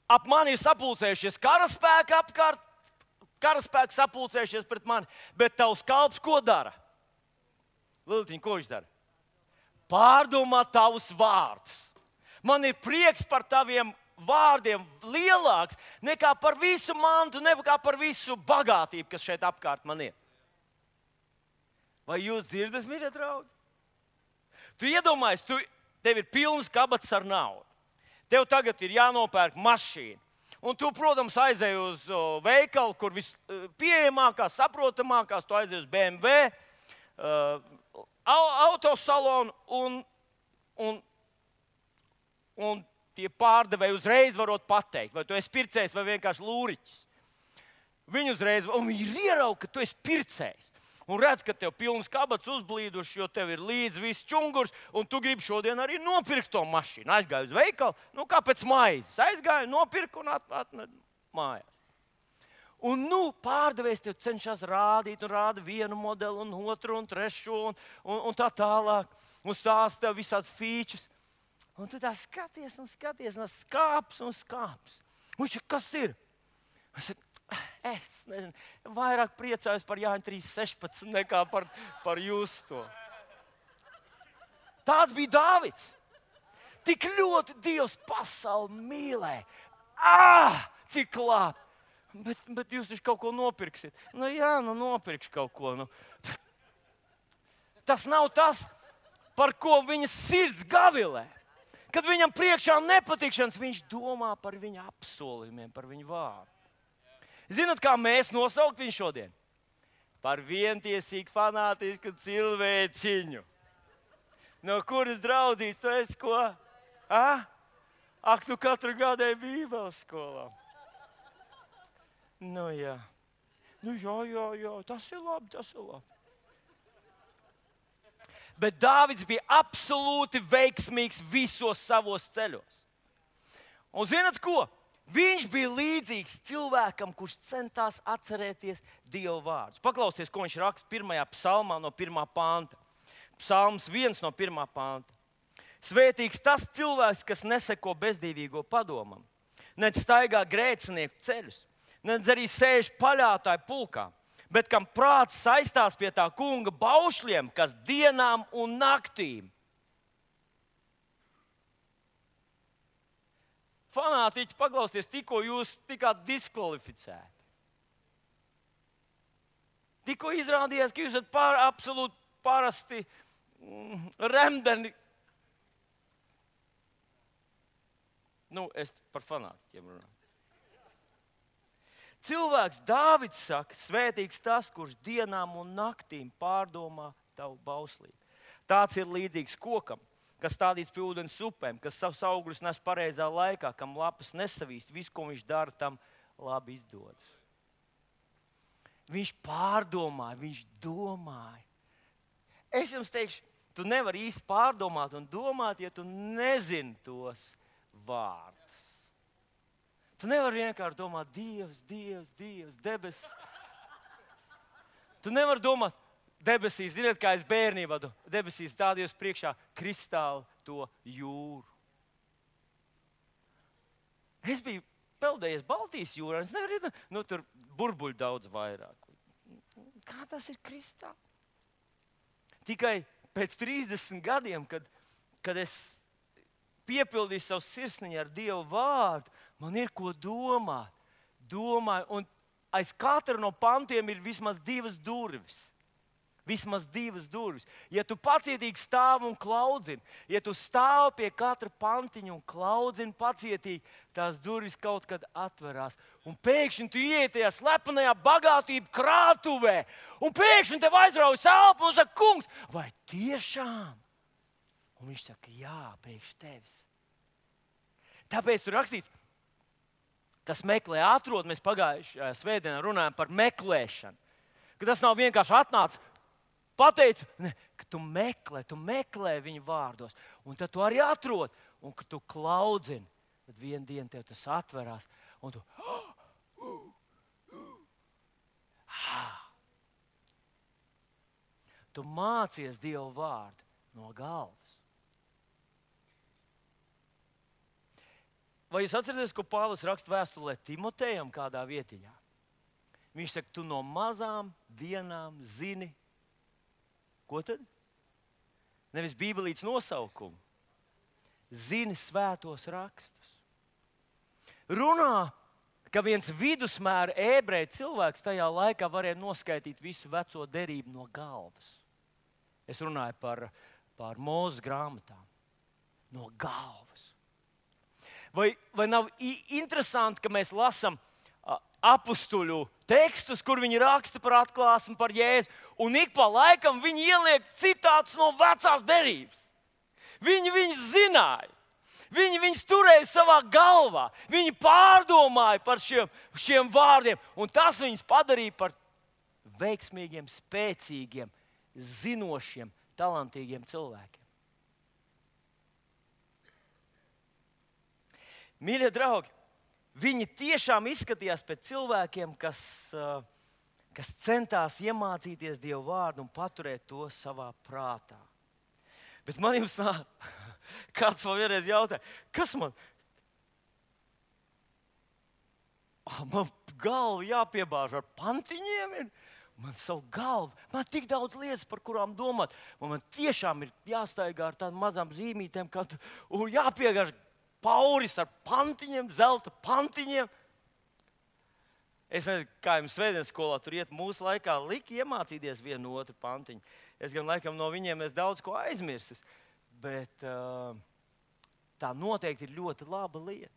Ap mani ir sapulcējušies karaspēki apkārt, karaspēki sapulcējušies pret mani, bet tavs kalps ko dara? Liltiņ, ko viņš dara? Pārdomā tavus vārdus. Man ir prieks par taviem vārdiem lielāks nekā par visu mantu, nekā par visu bagātību, kas šeit apkārt man ir. Vai jūs dzirdat, mīļie draugi? Tu iedomājies, tu, tev ir pilns kabats ar naudu. Tev tagad ir jānopērk mašīna. Un tu, protams, aizej uz o, veikalu, kur vispieejamākās, saprotamākās, tu aizej uz B M W, uh, autosalonu un, un, un tie pārdevēji uzreiz varot pateikt, vai tu esi pircējs vai vienkārši lūriķis. Viņi uzreiz, un viņi ir ierauga, ka tu esi pircējs. Un redz, ka tev pilns kabats uzblīduši, jo tev ir līdz viss čungurs, un tu gribi šodien arī nopirkt to mašīnu. Aizgāju uz veikalu, nu kā pēc maizes. Aizgāju, nopirku un atvedu mājās. Un nu pārdevējs tev cenšas rādīt, un rāda vienu modeli, un otru, un trešo, un, un, un tā tālāk. Un stāsta tev visāds features. Un tu tā skaties, un skaties, un skāps, un skāps. Un viņš, kas ir? Es saku, Es nezinu, vairāk priecājos par Jāņa trīs sešpadsmit nekā par, par jūsu to. Tāds bija Dāvids. Tik ļoti Dievs pasauli mīlēja. Ah, cik labi! Bet, bet jūs taču kaut ko nopirksiet. Nu jā, nu nopirkšu kaut ko. Nu. Tas nav tas, par ko viņa sirds gavilē. Kad viņam priekšā nepatikšanas, viņš domā par viņa apsolījumiem, par viņa vārdu. Zināt, kā mēs nosaukt viņu šodien? Par vientiesīgu fanātisku cilvēciņu. No kuras draudzīs tu esi ko? A? Ak, tu katru gadu ej Bībeles skolā. Nu jā. Nu jā, jā, jā, tas ir labi, tas ir labi. Bet Dāvids bija absolūti veiksmīgs visos savos ceļos. Un zināt ko? Viņš bija līdzīgs cilvēkam, kurš centās atcerēties Dieva vārdus. Paklausieties, ko viņš raksta pirmajā psalmā no pirmā panta. Psalms viens no pirmā panta. Svētīgs tas cilvēks, kas neseko bezdīvīgo padomam, nedz staigā grēcinieku ceļus, nedz arī sēž paļātāju pulkā, bet kam prāts saistās pie tā kunga baušļiem, kas dienām un naktīm. Fanātiķi, paklausieties, tikko jūs tikāt diskvalificēti. Tikko izrādījās, ka jūs esat pār, absolūti parasti mm, remdeni. Nu, es par fanātiķiem runāju. Cilvēks Dāvids saka, svētīgs tas, kurš dienām un naktīm pārdomā tavu bauslību. Tāds ir līdzīgs kokam, kas stādīts pie ūdens upēm, kas savus augļus nes pareizā laikā, kam lapas nesavīst, visu, ko viņš dara, tam labi izdodas. Viņš pārdomāja, viņš domāja. Es jums teikšu, tu nevari īsti pārdomāt un domāt, ja tu nezini tos vārdus. Tu nevari vienkārši domāt, Dievs, Dievs, Dievs, debesis. Tu nevari domāt, debesīs, ziniet, kā es bērnībā, debesīs stādījos priekšā kristāli to jūru. Es biju peldējies Baltijas jūrā, es nevaru, nu tur burbuļu daudz vairāk. Kā tas ir kristāli? Tikai pēc trīsdesmit gadiem, kad, kad es piepildīju savu sirsniņu ar Dievu vārdu, man ir ko domāt. Domāju, un aiz katra no pantiem ir vismaz divas durvis. Vismaz divas durvis. Ja tu pacietīgi stāvi un klaudzini, ja tu stāvi pie katra pantiņa un klaudzini pacietīgi, tās durvis kaut kad atverās. Un pēkšņi tu ieiet tajā slepenajā bagātību krātuvē, un pēkšņi tev aizraujas elpa un saka, kungs, vai tiešām? Un viņš saka, jā, priekš tevis. Tāpēc tur rakstīts, kas meklē atrod, mēs pagājušajā svētdienā runājam par meklēšanu. Ka tas nav vienkārši atnācis. Pateicu, ne, ka tu meklē, tu meklē viņu vārdos, un tad tu arī atrod, un kad tu klaudzini, tad vienu dienu tev tas atverās, un tu... Tu mācies Dievu vārdu no galvas. Vai jūs atceraties, ko Pāvils raksta vēstulē Timotejam kādā vietiņā? Viņš saka, tu no mazām dienām zini, ko tad? Nevis bībelītes nosaukumu. Zini svētos rakstus. Runā, ka viens vidusmēra ebreju cilvēks tajā laikā varēja noskaitīt visu veco derību no galvas. Es runāju par, par Mūzes grāmatām. No galvas. Vai, vai nav interesanti, ka mēs lasām apustuļu tekstus, kur viņi raksta par atklāsmi, par Jēzu, un ik pa laikam viņi ieliek citātus no vecās derības. Viņi viņus zināja. Viņi viņus turēja savā galvā. Viņi pārdomāja par šiem, šiem vārdiem, un tas viņus padarīja par veiksmīgiem, spēcīgiem, zinošiem, talantīgiem cilvēkiem. Mīļie draugi, viņi tiešām izskatījās pēc cilvēkiem, kas, kas centās iemācīties Dievu vārdu un paturēt to savā prātā. Bet man jums nā, kāds man vienreiz jautāja, kas man? Oh, man galva jāpiebāž ar pantiņiem ir. Man savu galvu, man tik daudz lietas, par kurām domāt. Man, man tiešām ir jāstaigā ar tādām mazām zīmītēm, kad un jāpiegāž pauris ar pantiņiem, zelta pantiņiem. Es nezinu, kā jums svētdienas skolā tur iet, mūsu laikā lika iemācīties vienu otru pantiņu. Es gan laikam no viņiem es daudz ko aizmirsis, bet uh, tā noteikti ir ļoti laba lieta.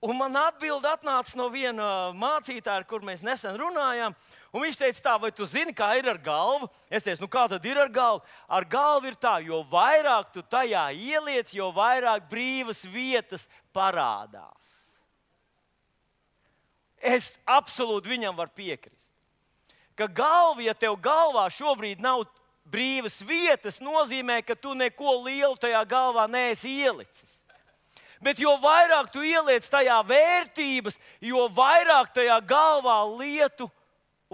Un man atbilde atnāca no viena mācītāja, ar kur mēs nesen runājām, un viņš teica tā, vai tu zini, kā ir ar galvu? Es teicu, nu kā tad ir ar galvu? Ar galvu ir tā, jo vairāk tu tajā ieliec, jo vairāk brīvas vietas parādās. Es absolūti viņam varu piekrist. Ka galva, ja tev galvā šobrīd nav brīvas vietas, nozīmē, ka tu neko lielu tajā galvā neesi ielicis. Bet jo vairāk tu ieliec tajā vērtības, jo vairāk tajā galvā lietu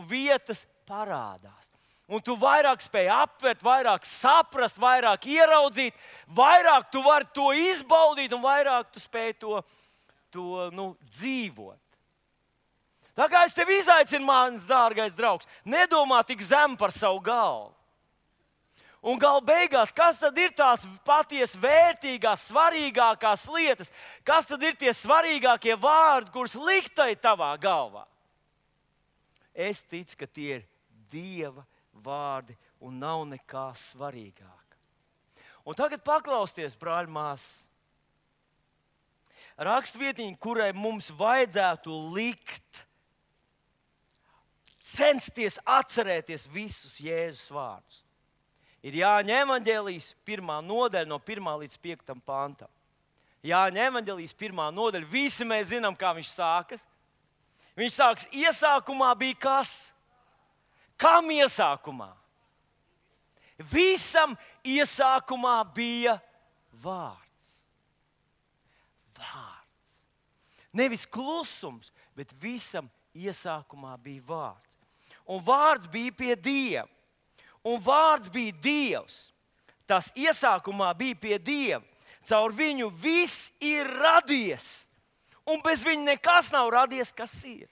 vietas parādās. Un tu vairāk spēj aptvert, vairāk saprast, vairāk ieraudzīt, vairāk tu vari to izbaudīt un vairāk tu spēj to, to nu, dzīvot. Tā kā es tevi izaicinu, mans dārgais draugs, nedomā tik zem par savu galvu. Un gala beigās, kas tad ir tās patiesi vērtīgās, svarīgākās lietas? Kas tad ir tie svarīgākie vārdi, kurus liktai tavā galvā? Es ticu, ka tie ir Dieva vārdi un nav nekā svarīgāk. Un tagad paklausieties, brāļi, māsas. Rakstvietiņa, kurai mums vajadzētu likt, censties atcerēties visus Jēzus vārdus. ir Jāņa evaņģēlijas pirmā nodaļa no pirmā līdz piektam pantam. Jāņa evaņģēlijas pirmā nodaļa, visi mēs zinām, kā viņš sākas. Viņš sāks, iesākumā bija kas? Kam iesākumā? Visam iesākumā bija vārds. Vārds. Nevis klusums, bet visam iesākumā bija vārds. Un vārds bija pie Dieva. Un vārds bija Dievs. Tas iesākumā bija pie Dieva. Caur viņu viss ir radies. Un bez viņa nekas nav radies, kas ir.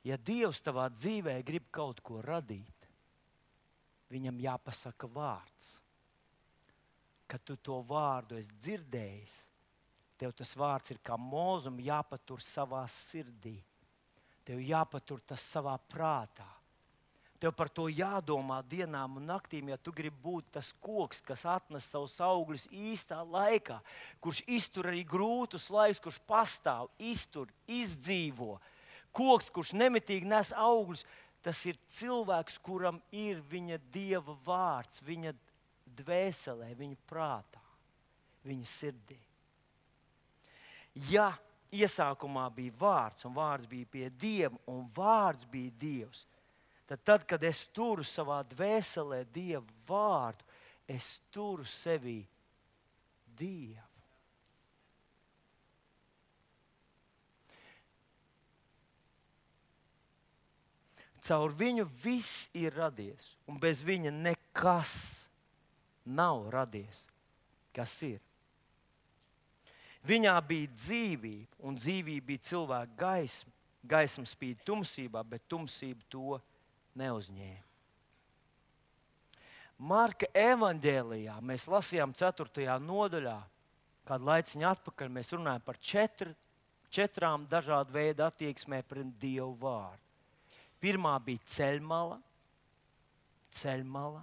Ja Dievs tavā dzīvē grib kaut ko radīt, viņam jāpasaka vārds. Kad tu to vārdu esi dzirdējis, tev tas vārds ir kā mūzum jāpatur savā sirdī. Tev jāpatur tas savā prātā. Tev par to jādomā dienām un naktīm, ja tu gribi būt tas koks, kas atnes savus augļus īstā laikā, kurš iztur arī grūtus laikus, kurš pastāv, iztur, izdzīvo. Koks, kurš nemitīgi nes augļus, tas ir cilvēks, kuram ir viņa Dieva vārds, viņa dvēselē, viņa prātā, viņa sirdī. Ja iesākumā bija vārds, un vārds bija pie Dieva, un vārds bija Dievs, tad, tad kad es turu savā dvēselē Dieva vārdu, es turu sevī Dievu. Caur viņu viss ir radies, un bez viņa nekas nav radies, kas ir. Viņā bija dzīvība, un dzīvība bija cilvēka gaisma. Gaisma spīd tumsībā, bet tumsība to neuzņēma. Marka evaņģēlijā mēs lasījām ceturtajā nodaļā, kādu laiciņu atpakaļ mēs runājam par četr, četrām dažādu veidu attieksmē pret Dievu vārdu. Pirmā bija ceļmala. Ceļmala.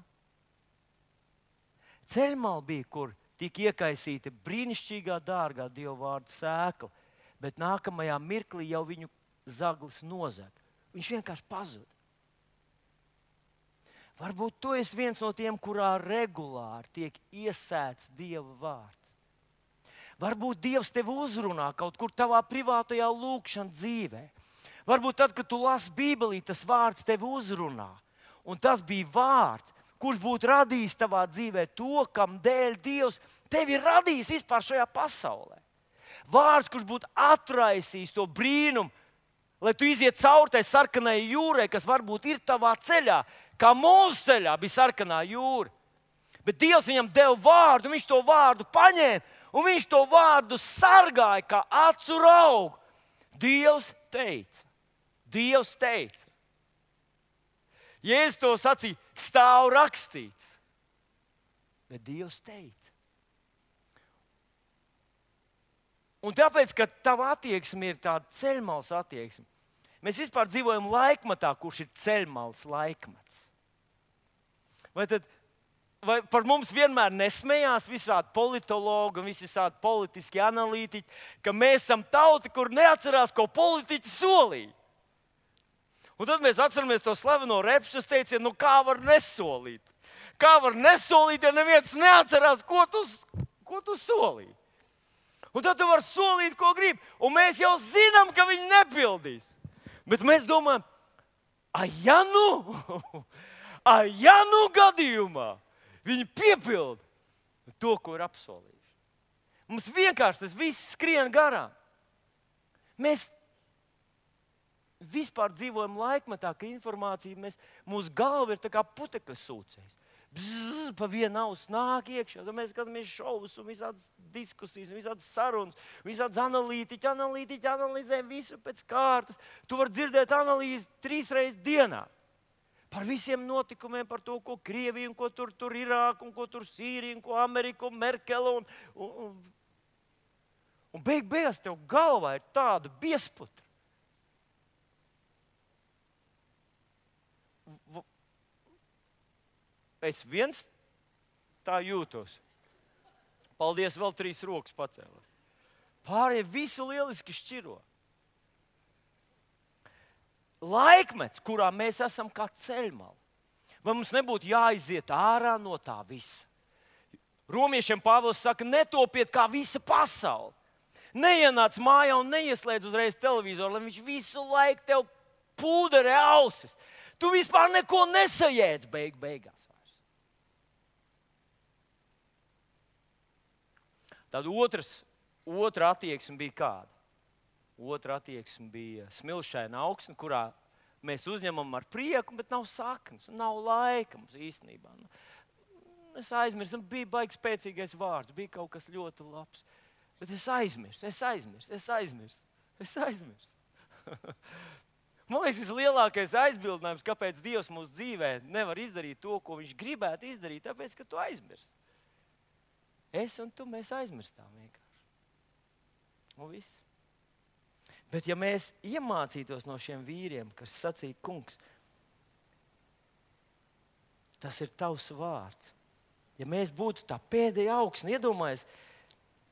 Ceļmala bija, kur tika iekaisīta brīnišķīgā, dārgā Dieva vārda sēkla, bet nākamajā mirklī jau viņu zaglis nozag. Viņš vienkārši pazuda. Varbūt tu esi viens no tiem, kurā regulāri tiek iesēts Dieva vārds. Varbūt Dievs tevi uzrunā kaut kur tavā privātajā lūkšanas dzīvē. Varbūt tad, kad tu lasi Bībelī, tas vārds tevi uzrunā. Un tas bija vārds, kurš būtu radījis tavā dzīvē to, kam dēļ Dievs tevi ir radījis vispār šajā pasaulē. Vārds, kurš būtu atraisījis to brīnumu, lai tu iziet cauri tai sarkanai jūrai, kas varbūt ir tavā ceļā, kā mūsu ceļā bija sarkanā jūra. Bet Dievs viņam deva vārdu, un viņš to vārdu paņēma, un viņš to vārdu sargāja kā acu raugu. Dievs teica. Dievs teica. Jēzus to sacīja, stāv rakstīts. Bet Dievs teica. Un tāpēc, ka tava attieksme ir tāda ceļmalas attieksme, mēs vispār dzīvojam laikmatā, kurš ir ceļmalas laikmets. Vai tad vai par mums vienmēr nesmējās visādi politologi un visādi politiski analītiķi, ka mēs esam tauta, kur neatcerās, ko politiķi solīja? Un tad mēs atceramies to slaveno repšas teicienu, nu kā var nesolīt? Kā var nesolīt, ja neviens neatcerās, ko tu, ko tu solīji? Un tad tu vari solīt, ko gribi, un mēs jau zinām, ka viņi nepildīs. Bet mēs domājam, a ja nu, a ja nu gadījumā viņi piepilda to, ko ir apsolījuši. Mums vienkārši tas viss skrien garām. Mēs vispār dzīvojam laikmetā, ka informācija, mēs, mūsu galva ir tā kā putekļa sūcējs. Bzz, pa vienu ausu nāk iekšā, tad mēs skatāmies šovus un visādas diskusijas, un visādas sarunas, visādas analītiķi, analītiķi analizē visu pēc kārtas. Tu vari dzirdēt analīzi trīs reizes dienā. Par visiem notikumiem, par to, ko Krievija, un ko tur, tur Irāka, un ko tur Sīrija, un ko Amerika, un Merkele. Un, un, un, un beig beigās tev galvā ir tāda biesputra. Es viens tā jūtos. Paldies, vēl trīs rokas pacēlās. Pārējie visu lieliski šķiro. laikmets, kurā mēs esam kā ceļmala. Vai mums nebūtu jāiziet ārā no tā visa? Romiešiem Pāvils saka, netopiet kā visa pasaule. Neienāc mājā un neieslēdz uzreiz televizoru, lai viņš visu laiku tev pūderē ausis. Tu vispār neko nesajēdz beig beigās. Tad otrs, otra attieksme bija kāda? Otra attieksme bija smilšaina augsne, kurā mēs uzņemam ar prieku, bet nav saknes, nav laika mums īstenībā. Es aizmirsu, bija baigi spēcīgais vārds, bija kaut kas ļoti labs. Bet es aizmirsu, es aizmirsu, es aizmirsu, es aizmirsu. Man liekas, vislielākais aizbildinājums, kāpēc Dievs mūsu dzīvē nevar izdarīt to, ko viņš gribētu izdarīt, tāpēc, ka tu aizmirsti. Es un tu, mēs aizmirstām vienkārši. Un viss. Bet ja mēs iemācītos no šiem vīriem, kas sacīja, kungs, tas ir tavs vārds. Ja mēs būtu tā pēdējā augsne, iedomājies,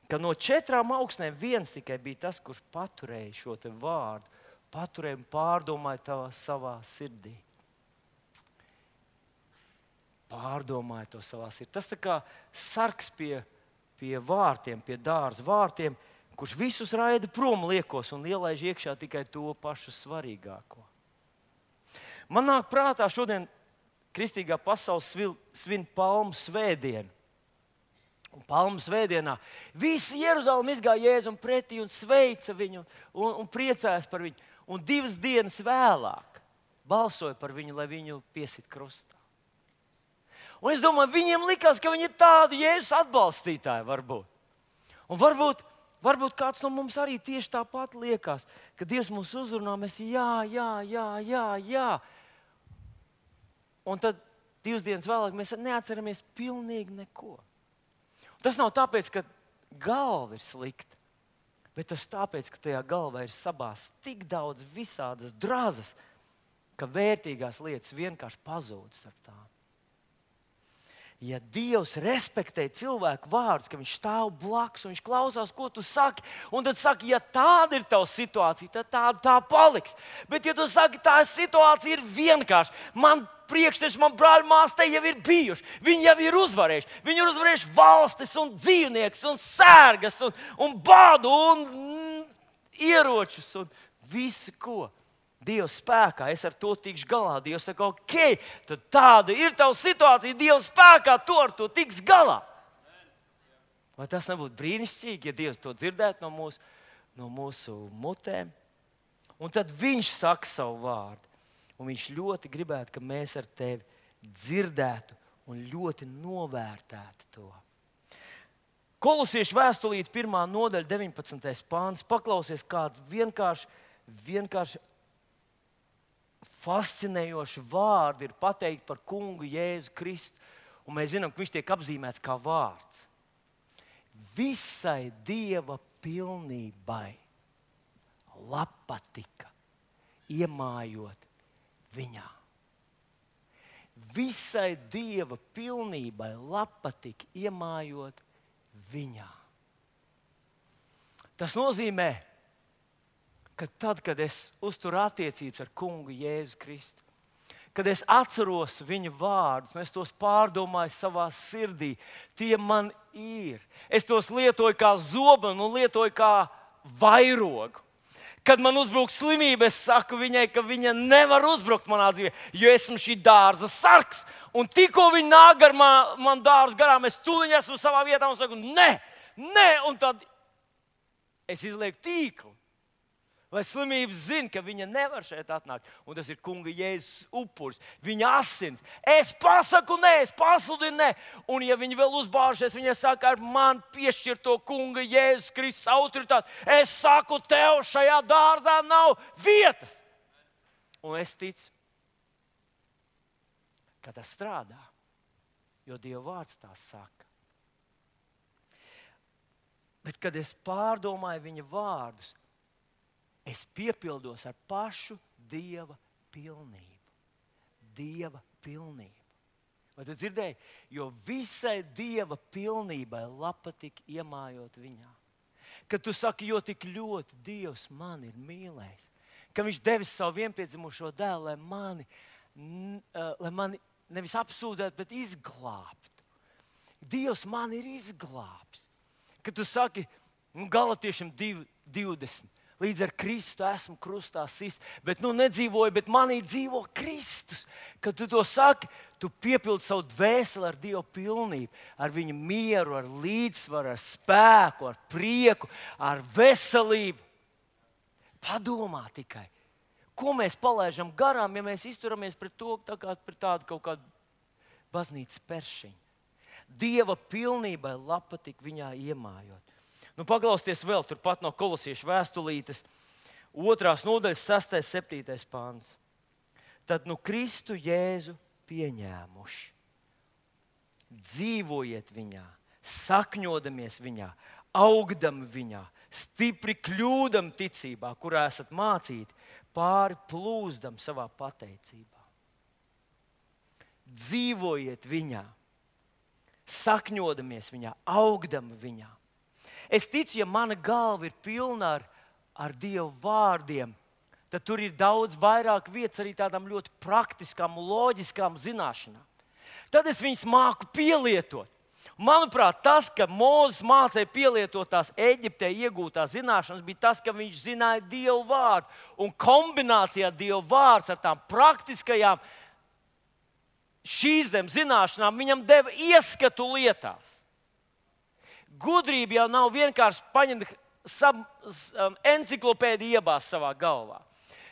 ka no četrām augsnēm viens tikai bija tas, kurš paturēja šo te vārdu, paturēja un pārdomāja tavā savā sirdī. Pārdomāja to savā sirdī. Tas tā kā sargs pie, pie vārtiem, pie dārza vārtiem, kurš visus raida prom liekos un ielaiž iekšā tikai to pašu svarīgāko. Man nāk prātā šodien kristīgā pasaule svin palmu svētdienu. Un palmu svētdienā visi Jeruzalem izgāja Jēzum pretī un sveica viņu un, un priecājās par viņu. Un divas dienas vēlāk balsoja par viņu, lai viņu piesit krustā. Un es domāju, viņiem likās, ka viņi ir tādi Jēzus atbalstītāji varbūt. Un varbūt, varbūt kāds no mums arī tieši tāpat liekas, ka Dievs mūs uzrunā, mēs jā, jā, jā, jā, jā. Un tad divas dienas vēlāk mēs neatceramies pilnīgi neko. Tas nav tāpēc, ka galva ir slikta, bet tas tāpēc, ka tajā galvā ir sabāzts tik daudz visādas drazas, ka vērtīgās lietas vienkārši pazūd starp tām. Ja Dievs respektē cilvēku vārdus, ka viņš stāv blakus un viņš klausās, ko tu saki, un tad saki, ja tāda ir tava situācija, tad tāda tā paliks. Bet ja tu saki, tā situācija ir vienkārši, man priekšteči, man brāļi, māsas te jau ir bijuši, viņi jau ir uzvarējuši. Viņi ir uzvarējuši valstis un dzīvniekus un sērgas un, un bādu un mm, ieročus un visu ko. Dievs spēkā, es ar to tikšu galā. Dievs saka, ok, tad tāda ir tava situācija, Dievs spēkā, to ar to tiks galā. Vai tas nebūtu brīnišķīgi, ja Dievs to dzirdētu no mūsu, no mūsu mutēm? Un tad viņš saka savu vārdu. Un viņš ļoti gribētu, ka mēs ar tevi dzirdētu un ļoti novērtētu to. Kolosiešu vēstulīte pirmā nodaļa, deviņpadsmitais pāns. Paklausies, kāds vienkārši, vienkārši fascinējoši vārdi ir pateikti par kungu Jēzu Kristu. Un mēs zinām, ka viņš tiek apzīmēts kā vārds. Visai Dieva pilnībai labpatika, iemājot viņā. Visai Dieva pilnībai labpatika, iemājot viņā. Tas nozīmē, ka tad, kad es uzturu attiecības ar kungu Jēzu Kristu, kad es atceros viņa vārdus, un es tos pārdomāju savā sirdī, tie man ir. Es tos lietoju kā zobenu un lietoju kā vairogu. Kad man uzbruk slimība, es saku viņai, ka viņa nevar uzbrukt manā dzīvē, jo esmu šī dārza sargs. Un tikko viņa nāk ar man, man dārzu garām, es tūliņ esmu savā vietā un saku, ne, ne, un tad es izlieku tīklu. Vai slimības zina, ka viņa nevar šeit atnākt, un tas ir kunga Jēzus upuris, viņa asins. Es pasaku nē, es pasludinu nē, un ja viņi vēl uzbāžas, viņa saka, ar man piešķirto kunga Jēzus Kristus autoritāti, es saku, tev šajā dārzā nav vietas. Un es ticu, ka tas strādā, jo Dieva vārds tā saka. Bet, kad es pārdomāju viņa vārdus, es piepildos ar pašu Dieva pilnību. Dieva pilnību. Vai tu dzirdēji? Jo visai Dieva pilnībai labpatika iemājot viņā. Kad tu saki, jo tik ļoti Dievs man ir mīlējis, ka viņš devis savu vienpiedzimušo dēlu, lai mani, n, uh, lai mani nevis apsūdzētu, bet izglābtu. Dievs mani ir izglābs. Kad tu saki, nu, Galatiešiem divi divdesmit, līdz ar Kristu esmu krustā sists, bet nu nedzīvoju, bet manī dzīvo Kristus. Kad tu to saki, tu piepildi savu dvēseli ar Dieva pilnību, ar viņa mieru, ar līdzsvaru, ar spēku, ar prieku, ar veselību. Padomā tikai, ko mēs palaidām garām, ja mēs izturamies pret to tā kā pret tādu kaut kādu baznīcas peršiņu. Dieva pilnībai lapatik viņā iemājot. Nu, paklausieties vēl turpat no Kolosiešu vēstulītes, otrās nodaļas, sestais, septītais pāns. Tad nu Kristu Jēzu pieņēmuši. Dzīvojiet viņā, sakņodamies viņā, augdami viņā, stipri kļūdam ticībā, kurā esat mācīti, pāri plūzdam savā pateicībā. Dzīvojiet viņā, sakņodamies viņā, augdami viņā. Es ticu, ja mana galva ir pilna ar, ar Dieva vārdiem, tad tur ir daudz vairāk vietas arī tādām ļoti praktiskām un loģiskām zināšanām. Tad es viņus māku pielietot. Manuprāt, tas, ka Mūzes mācīja pielietot tās Eģiptē iegūtās zināšanas, bija tas, ka viņš zināja Dieva vārdu. Un kombinācijā Dieva vārds ar tām praktiskajām šīs zemes zināšanām viņam deva ieskatu lietās. Gudrība jau nav vienkārši paņemt sab, um, enciklopēdiju iebāzt savā galvā.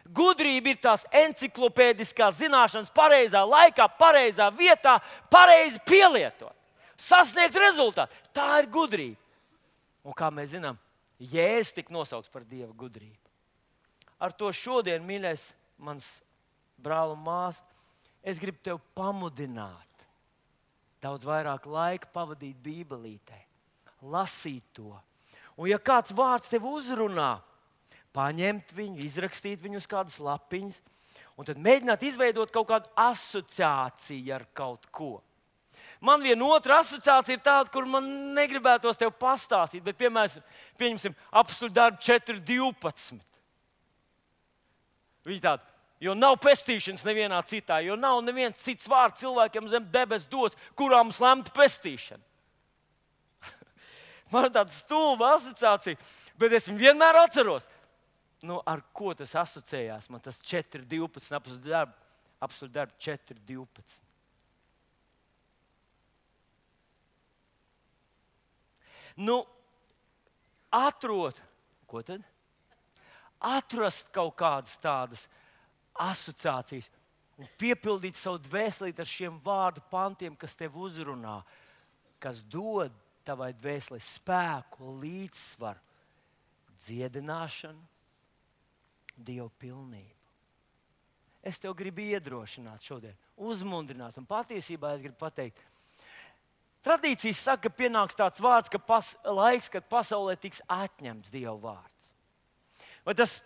Gudrība ir tās enciklopēdiskās zināšanas pareizā laikā, pareizā vietā, pareizi pielietot, sasniegt rezultātu. Tā ir gudrība. Un kā mēs zinām, Jēzus tika nosaukts par Dieva gudrību. Ar to šodien, mīļais, mans brāl un māsa, es gribu tevi pamudināt, daudz vairāk laika pavadīt Bībelītē. Lasīt to. Un ja kāds vārds tev uzrunā, paņemt viņu, izrakstīt viņu uz kādas lapiņas, un tad mēģināt izveidot kaut kādu asociāciju ar kaut ko. Man viena otra asociācija ir tāda, kur man negribētos tev pastāstīt, bet, piemēram, pieņemsim apstuļu darbu četri divpadsmit. Viņi tādi, jo nav pestīšanas nevienā citā, jo nav neviens cits vārds cilvēkiem zem debes dots, kurā mums lemta pestīšana. Man ir tāda stulba asociācija, bet es viņu vienmēr atceros. Nu, ar ko tas asociējās? Man tas četri divpadsmit, apstuļu darbu, apstuļu darbu četri divpadsmit. Nu, atrod, ko tad? Atrast kaut kādas tādas asociācijas un piepildīt savu dvēselīti ar šiem vārdu pantiem, kas tev uzrunā, kas dod tavai dvēselē spēku, līdzsvaru, dziedināšanu, Dieva pilnību. Es tev gribu iedrošināt šodien, uzmundrināt, un patiesībā es gribu pateikt, tradīcijas saka, ka pienāks tāds vārds, ka pas, laiks, kad pasaulē tiks atņemts Dieva vārds. Vai tas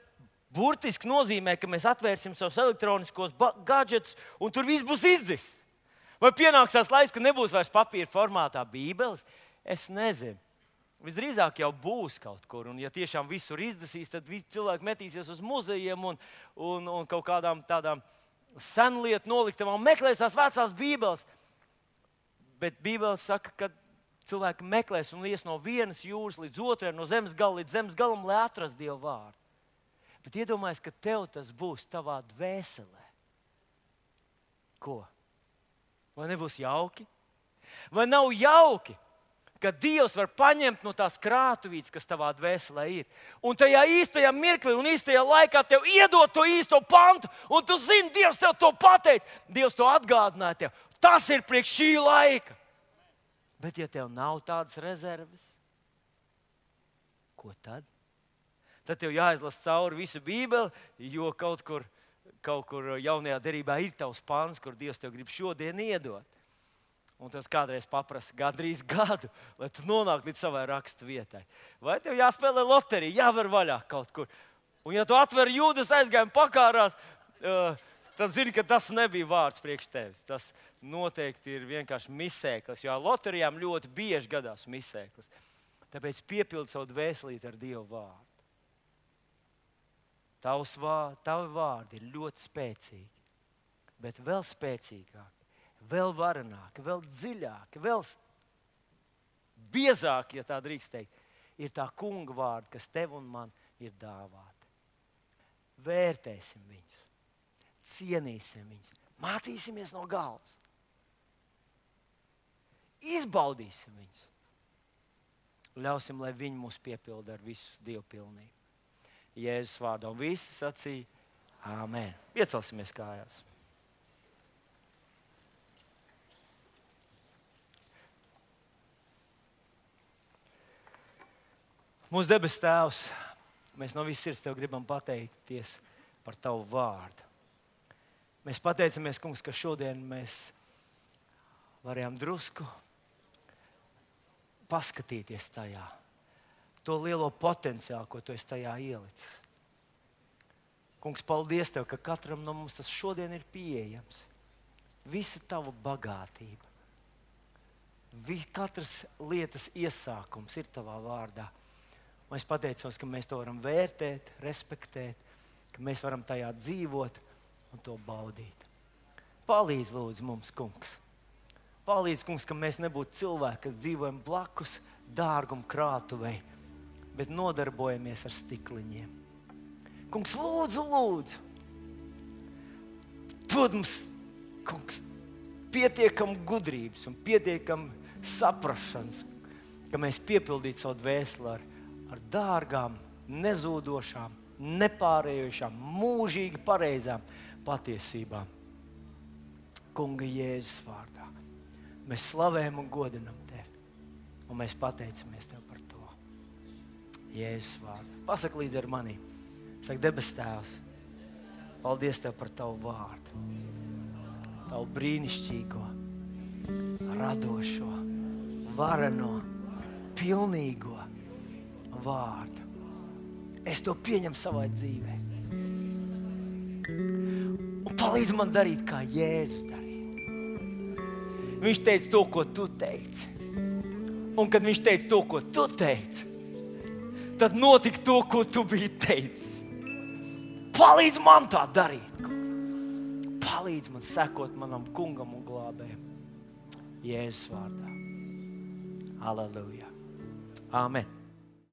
burtiski nozīmē, ka mēs atvērsim savus elektroniskos gadžetus un tur viss būs izdzis? Vai pienāks tās laiks, ka nebūs vairs papīra formātā Bībeles? Es nezinu. Visdrīzāk jau būs kaut kur, un ja tiešām visur izdzisīs, tad visi cilvēki metīsies uz muzejiem un, un, un kaut kādām tādām senlietu noliktavām, meklēs tās vecās Bībeles. Bet Bībele saka, ka cilvēki meklēs un ies no vienas jūras līdz otrai, no zemes gala līdz zemes galam, lai atrastu Dieva vārdu. Bet iedomājies, ka tev tas būs tavā dvēselē. Ko? Vai nebūs jauki? Vai nav jauki, ka Dievs var paņemt no tās krātuvītes, kas tavā dvēselē ir, un tajā īstajā mirklī un īstajā laikā tev iedot to īsto pantu, un tu zini, Dievs tev to pateica, Dievs to atgādināja tev. Tas ir priekš šī laika. Bet ja tev nav tādas rezerves, ko tad? Tad tev jāizlasa cauri visu Bībeli, jo kaut kur, kaut kur jaunajā derībā ir tavs pants, kur Dievs tev grib šodien iedot. Un tas kādreiz paprasa gandrīz gadu, lai tu nonāktu līdz savai rakstu vietai. Vai tev jāspēlē loterija, jāver vaļā kaut kur. Un ja tu atver Jūdas aizgājumu pakārās, uh, tad zini, ka tas nebija vārds priekš tevis. Tas noteikti ir vienkārši misēklis, jo loterijām ļoti bieži gadās misēklis. Tāpēc piepildi savu dvēselīti ar Dieva vārdu. Tavs vārdi, tavi vārdi ir ļoti spēcīgi, bet vēl spēcīgāki, vēl varenāki, vēl dziļāki, vēl biezāki, ja tā drīkst teikt, ir tā kunga vārdi, kas tev un man ir dāvāti. Vērtēsim viņus, cienīsim viņus, mācīsimies no galvas, izbaudīsim viņus, ļausim, lai viņi mūs piepilda ar visu dievpilnību. Jēzus vārdā, un visi sacīja āmen. Iecelsimies kājās. Mūsu debes Tēvs, mēs no visas sirds Tev gribam pateikties par Tavu vārdu. Mēs pateicamies, Kungs, ka šodien mēs varējām drusku paskatīties tajā. To lielo potenciālu, ko Tu esi tajā ielicis. Kungs, paldies Tev, ka katram no mums tas šodien ir pieejams. Visa Tava bagātība. Vis, katras lietas iesākums ir Tavā vārdā. Un es pateicos, ka mēs to varam vērtēt, respektēt, ka mēs varam tajā dzīvot un to baudīt. Palīdz lūdzu mums, Kungs. Palīdz, Kungs, ka mēs nebūtu cilvēki, kas dzīvojam blakus dārgumu krātuvei, bet nodarbojamies ar stikliņiem. Kungs, lūdzu, lūdzu, dod mums, Kungs, pietiekam gudrības un pietiekam saprašanas, ka mēs piepildītu savu dvēseli ar, ar dārgām, nezūdošām, nepārējošām, mūžīgi pareizām patiesībām. Kunga Jēzus vārdā. Mēs slavējam un godinam Tevi, un mēs pateicamies Tev par to. Jēzus vārdā. Pasaka līdzi ar mani. Saka, debes Tēvs, paldies Tev par Tavu vārdu. Tavu brīnišķīgo, radošo, vareno, pilnīgo vārdu. Es to pieņemu savā dzīvē. Un palīdz man darīt, kā Jēzus darīja. Viņš teica to, ko Tu teici. Un kad viņš teica to, ko Tu teici, tad notika to, ko Tu biji teicis. Palīdz man tā darīt. Palīdz man sekot manam kungam un glābējam. Jēzus vārdā. Halleluja. Āmen.